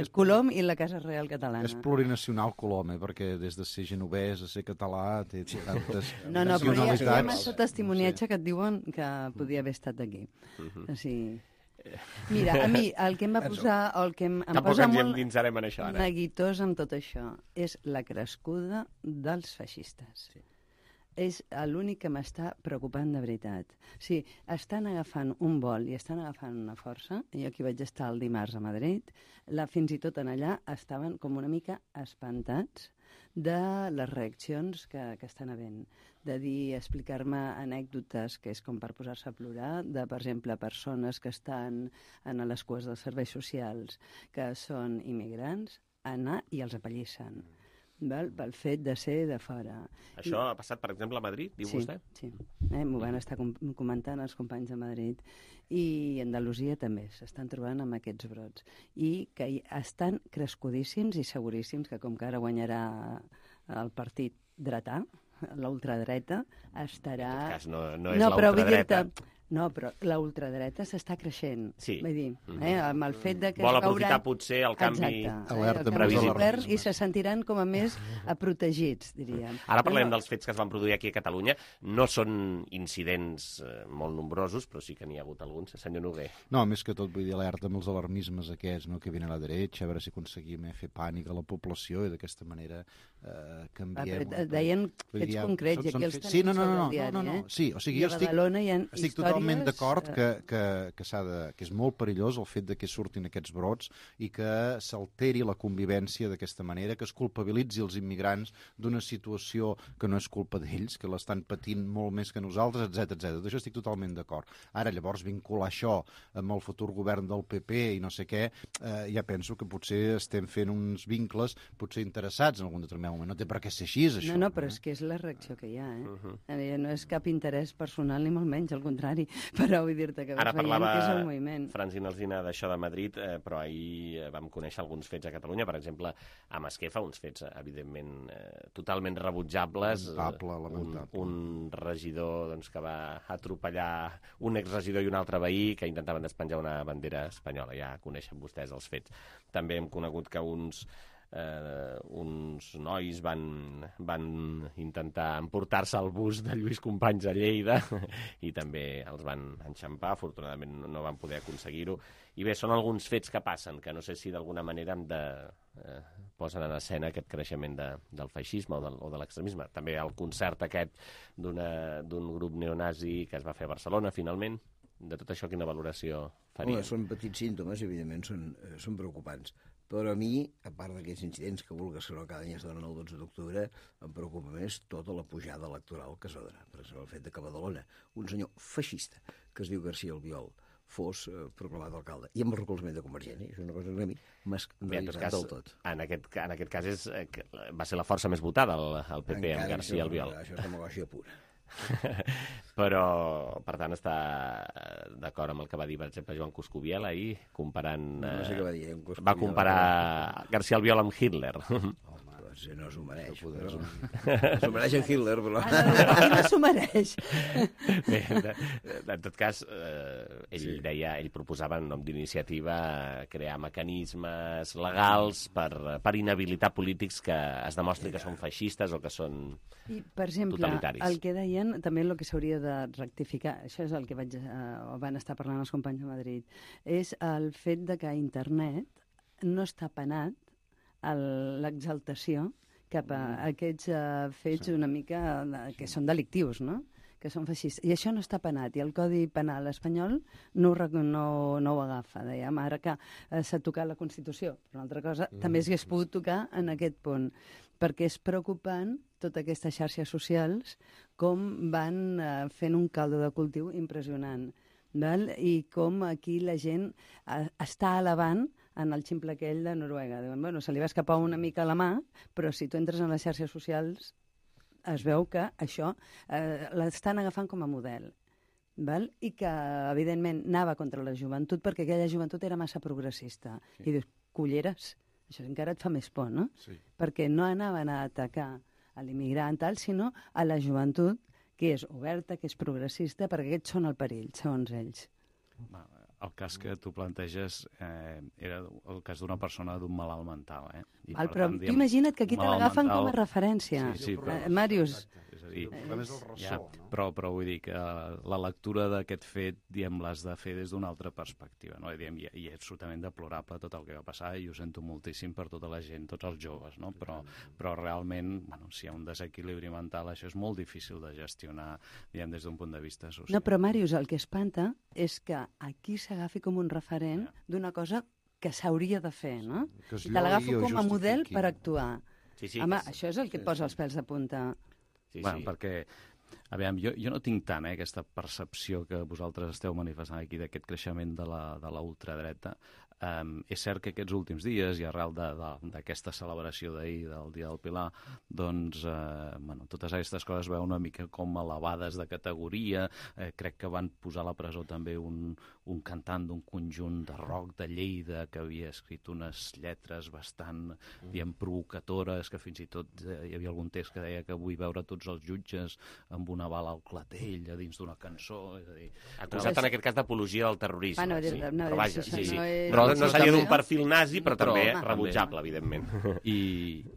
el Colom i la Casa Real Catalana. És plurinacional Colom, eh? Perquè des de ser genovès a ser català té tantes no, no, però hi ha, hi ha massa testimoniatge que et diuen que podia haver estat aquí. Uh-huh. O sigui... Mira, a mi el que em va posar, el que em, em Tampoc posa ens molt endinsarem en això, ara. neguitós amb tot això és la crescuda dels feixistes. Sí. És l'únic que m'està preocupant de veritat. Sí, estan agafant un vol i estan agafant una força. Jo aquí vaig estar el dimarts a Madrid, la, fins i tot en allà estaven com una mica espantats de les reaccions que, que estan havent. De dir, explicar-me anècdotes que és com per posar-se a plorar, de, per exemple, persones que estan en les cues dels serveis socials, que són immigrants, anar i els apallissen. Val? Pel fet de ser de fora. Això I... ha passat, per exemple, a Madrid, diu sí, vostè? Sí, eh, m'ho van estar com comentant els companys de Madrid. I Andalusia també s'estan trobant amb aquests brots. I que estan crescudíssims i seguríssims que com que ara guanyarà el partit dretà, la ultradreta, estarà... En tot cas, no, no és no, la ultradreta. No, però la ultradreta s'està creixent. Sí. Vull dir, eh, amb el fet de que... Vol aprofitar veuran... potser el canvi... Exacte, eh, el canvi govern i se sentiran com a més protegits, diríem. Ara parlem però... dels fets que es van produir aquí a Catalunya. No són incidents eh, molt nombrosos, però sí que n'hi ha hagut alguns. Senyor Noguer. No, més que tot, vull dir, alerta amb els alarmismes aquests, no?, que venen a la dreta, a veure si aconseguim eh, fer pànic a la població i d'aquesta manera eh, canviem... Ah, deien fets concrets, i aquí els tenim sí, no, no, no, sobre el diari, no, no, no. eh? Sí, o sigui, jo estic, Badalona hi ha estic totalment totalment d'acord que, que, que, de, que és molt perillós el fet de que surtin aquests brots i que s'alteri la convivència d'aquesta manera, que es culpabilitzi els immigrants d'una situació que no és culpa d'ells, que l'estan patint molt més que nosaltres, etcètera etcètera. D'això estic totalment d'acord. Ara, llavors, vincular això amb el futur govern del P P i no sé què, eh, ja penso que potser estem fent uns vincles potser interessats en algun determinat moment. No té per què ser així, això. No, no, però és que és la reacció que hi ha, eh? Uh-huh. No és cap interès personal ni molt menys, al contrari, però vull dir-te que ara veiem que és el moviment. Francina Alsina d'això de Madrid, eh, però ahir vam conèixer alguns fets a Catalunya, per exemple, a Masquefa, uns fets, evidentment, eh, totalment rebutjables. Lamentable, lamentable. Un, un regidor doncs, que va atropellar un exregidor i un altre veí que intentaven despenjar una bandera espanyola. Ja coneixen vostès els fets. També hem conegut que uns Uh, uns nois van, van intentar emportar-se al bus de Lluís Companys a Lleida i també els van enxampar, afortunadament no van poder aconseguir-ho. I bé, són alguns fets que passen, que no sé si d'alguna manera hem de, uh, posen en escena aquest creixement de, del feixisme o, del, o de l'extremisme. També el concert aquest d'un grup neonazi que es va fer a Barcelona, finalment. De tot això, quina valoració faria? Home, són petits símptomes, evidentment, són, eh, són preocupants. Però a mi, a part d'aquests incidents que vulgues que no cada any es donen el dotze d'octubre, em preocupa més tota la pujada electoral que es va donar. Per exemple, el fet de que a Badalona un senyor feixista que es diu García Albiol fos eh, proclamat alcalde, i amb el recolzament de Convergent, és una cosa que a mi m'ha escandalitzat del tot. En aquest, en aquest cas és, eh, va ser la força més votada, el, el P P, encara amb García Albiol. Això és demagògia pura. Però, per tant, està d'acord amb el que va dir, per exemple, Joan Coscubiela ahir, comparant... No, no sé què va dir. Va comparar García Albiol amb Hitler. Doncs no s'ho mereix. Però... S'ho mereix en Hitler, però... Ah, no s'ho mereix. Bé, de, en tot cas, eh, ell sí. deia, ell proposava en nom d'iniciativa crear mecanismes legals per, per inhabilitar polítics que es demostri que són feixistes o que són I, per exemple, totalitaris. El que deien, també el que s'hauria de rectificar, això és el que vaig, eh, van estar parlant els companys de Madrid, és el fet de que a internet no està penat l'exaltació cap a aquests uh, fets una mica uh, que són delictius, no? Que són feixistes. I això no està penat, i el Codi Penal espanyol no ho, no, no ho agafa. Dèiem ara que uh, s'ha tocat la Constitució, però una altra cosa, mm. també s'hagués pogut tocar en aquest punt, perquè és preocupant totes aquestes xarxes socials com van uh, fent un caldo de cultiu impressionant, val? I com aquí la gent uh, està elevant en el ximple aquell de Noruega. Diuen, bueno, se li va escapar una mica a la mà, però si tu entres en les xarxes socials es veu que això eh, l'estan agafant com a model. Val? I que, evidentment, anava contra la joventut perquè aquella joventut era massa progressista. Sí. I dius, culleres, això encara et fa més por, no? Sí. Perquè no anaven a atacar a l'immigrant tal, sinó a la joventut que és oberta, que és progressista, perquè aquests són el perill, segons ells. Va, el cas que tu planteges eh, era el cas d'una persona d'un malalt mental. Eh? I Val, però tant, tu imagina't que aquí te l'agafen com a referència. Sí, sí, però, eh, Màrius. És a dir, eh, ja, però, però vull dir que la lectura d'aquest fet, diem, l'has de fer des d'una altra perspectiva. No? I, diem, i, I és absolutament deplorable tot el que va passar i ho sento moltíssim per tota la gent, tots els joves, no? però, però realment, bueno, si hi ha un desequilibri mental, això és molt difícil de gestionar, diem, des d'un punt de vista social. No, però Màrius, el que espanta és que aquí s'agafi com un referent ja. d'una cosa que s'hauria de fer, no? I te l'agafo com a model per actuar. Sí, sí, Home, que... això és el que et posa els pèls de punta. Sí, bueno, sí. perquè, a veure, jo, jo no tinc tant eh, aquesta percepció que vosaltres esteu manifestant aquí d'aquest creixement de la, de la ultradreta. Um, és cert que aquests últims dies, i arrel d'aquesta celebració d'ahir, del Dia del Pilar, doncs, eh, bueno, totes aquestes coses veuen una mica com elevades de categoria. Eh, crec que van posar a la presó també un, un cantant d'un conjunt de rock de Lleida que havia escrit unes lletres bastant, mm. diem, provocatores, que fins i tot eh, hi havia algun text que deia que vull veure tots els jutges amb una bala al clatell a dins d'una cançó. És a dir, acusat però... en aquest cas d'apologia del terrorisme. Ah, no, sí. no, però vaja, sí, sí, sí. No és... Però no seria d'un perfil nazi, però, però també home, rebutjable, també. Evidentment. I,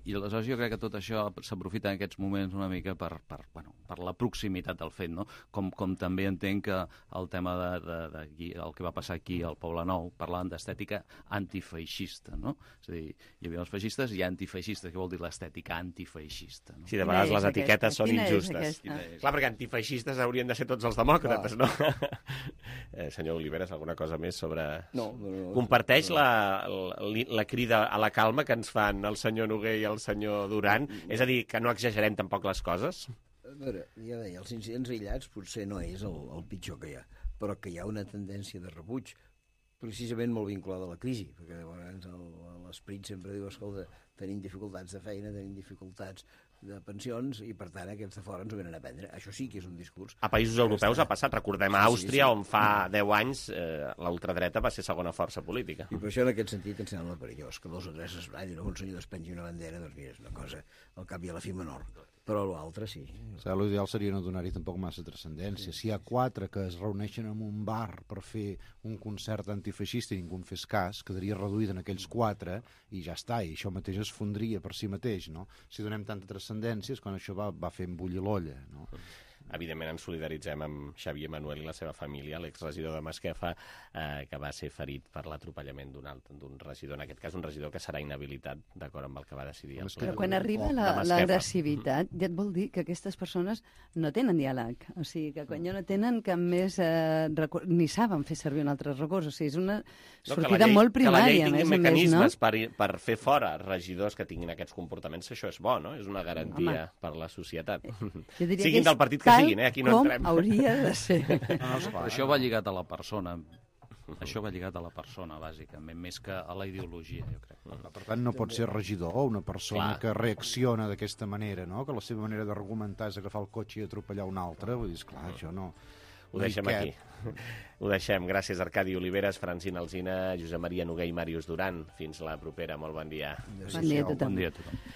I aleshores jo crec que tot això s'aprofita en aquests moments una mica per, per, bueno, per la proximitat del fet, no? Com, com també entenc que el tema de, de, de el que va passar aquí al Poble Nou, parlaven d'estètica antifeixista, no? És a dir, hi havia els feixistes i antifeixistes, què vol dir l'estètica antifeixista? No? Sí, de vegades les etiquetes són injustes. Clar, perquè antifeixistes haurien de ser tots els demòcrates, no? eh, senyor Oliveres, alguna cosa més sobre... No, no, no. Comparteix la, la, la crida a la calma que ens fan el senyor Noguer i el senyor Duran? És a dir, que no exagerem tampoc les coses? A veure, ja deia, els incidents aïllats potser no és el, el pitjor que hi ha, però que hi ha una tendència de rebuig precisament molt vinculada a la crisi, perquè llavors l'esperit sempre diu, escolta, tenim dificultats de feina, tenim dificultats de pensions i, per tant, aquests de fora ens ho venen a prendre. Això sí que és un discurs. A països europeus ha passat, recordem a Àustria, on fa deu anys eh, la ultradreta va ser segona força política. I per això, en aquest sentit, em sembla perillós, que dos o tres es ballin, un senyor despengi una bandera, doncs mira, és una cosa al cap i a la fi menor. Però l'altre sí. O sigui, l'ideal seria no donar-hi tampoc massa transcendència. Si hi ha quatre que es reuneixen en un bar per fer un concert antifeixista i ningú en fes cas, quedaria reduït en aquells quatre i ja està, i això mateix es fondria per si mateix, no? Si donem tanta transcendència és quan això va, va fent bullir l'olla, no? Evidentment ens solidaritzem amb Xavier Manuel i la seva família, l'exregidor de Masquefa, eh, que va ser ferit per l'atropellament d'un regidor, en aquest cas un regidor que serà inhabilitat, d'acord amb el que va decidir el ple. Però quan arriba l'agressivitat, ja et vol dir que aquestes persones no tenen diàleg, o sigui, que quan ja no tenen cap més eh, recurs, ni saben fer servir un altre recurs, o sigui, és una sortida no, llei, molt primària. Que la llei tingui més, mecanismes no? per, per fer fora regidors que tinguin aquests comportaments, això és bo, no? És una garantia Home. per la societat. Siguin del partit que siguin, eh? Aquí no com entrem. Hauria de ser. No, no, però això va lligat a la persona. Això va lligat a la persona, bàsicament, més que a la ideologia, jo crec. Per tant, no pot ser regidor una persona Clar. que reacciona d'aquesta manera, no? Que la seva manera d'argumentar és agafar el cotxe i atropellar un altre. Vull dir, esclar, això no... Ho deixem aquí. Ho deixem. Gràcies, Arcadi Oliveres, Francina Alsina, Josep Maria Noguer i Màrius Duran. Fins la propera. Molt bon dia. Bon dia a tothom. Bon dia a tothom.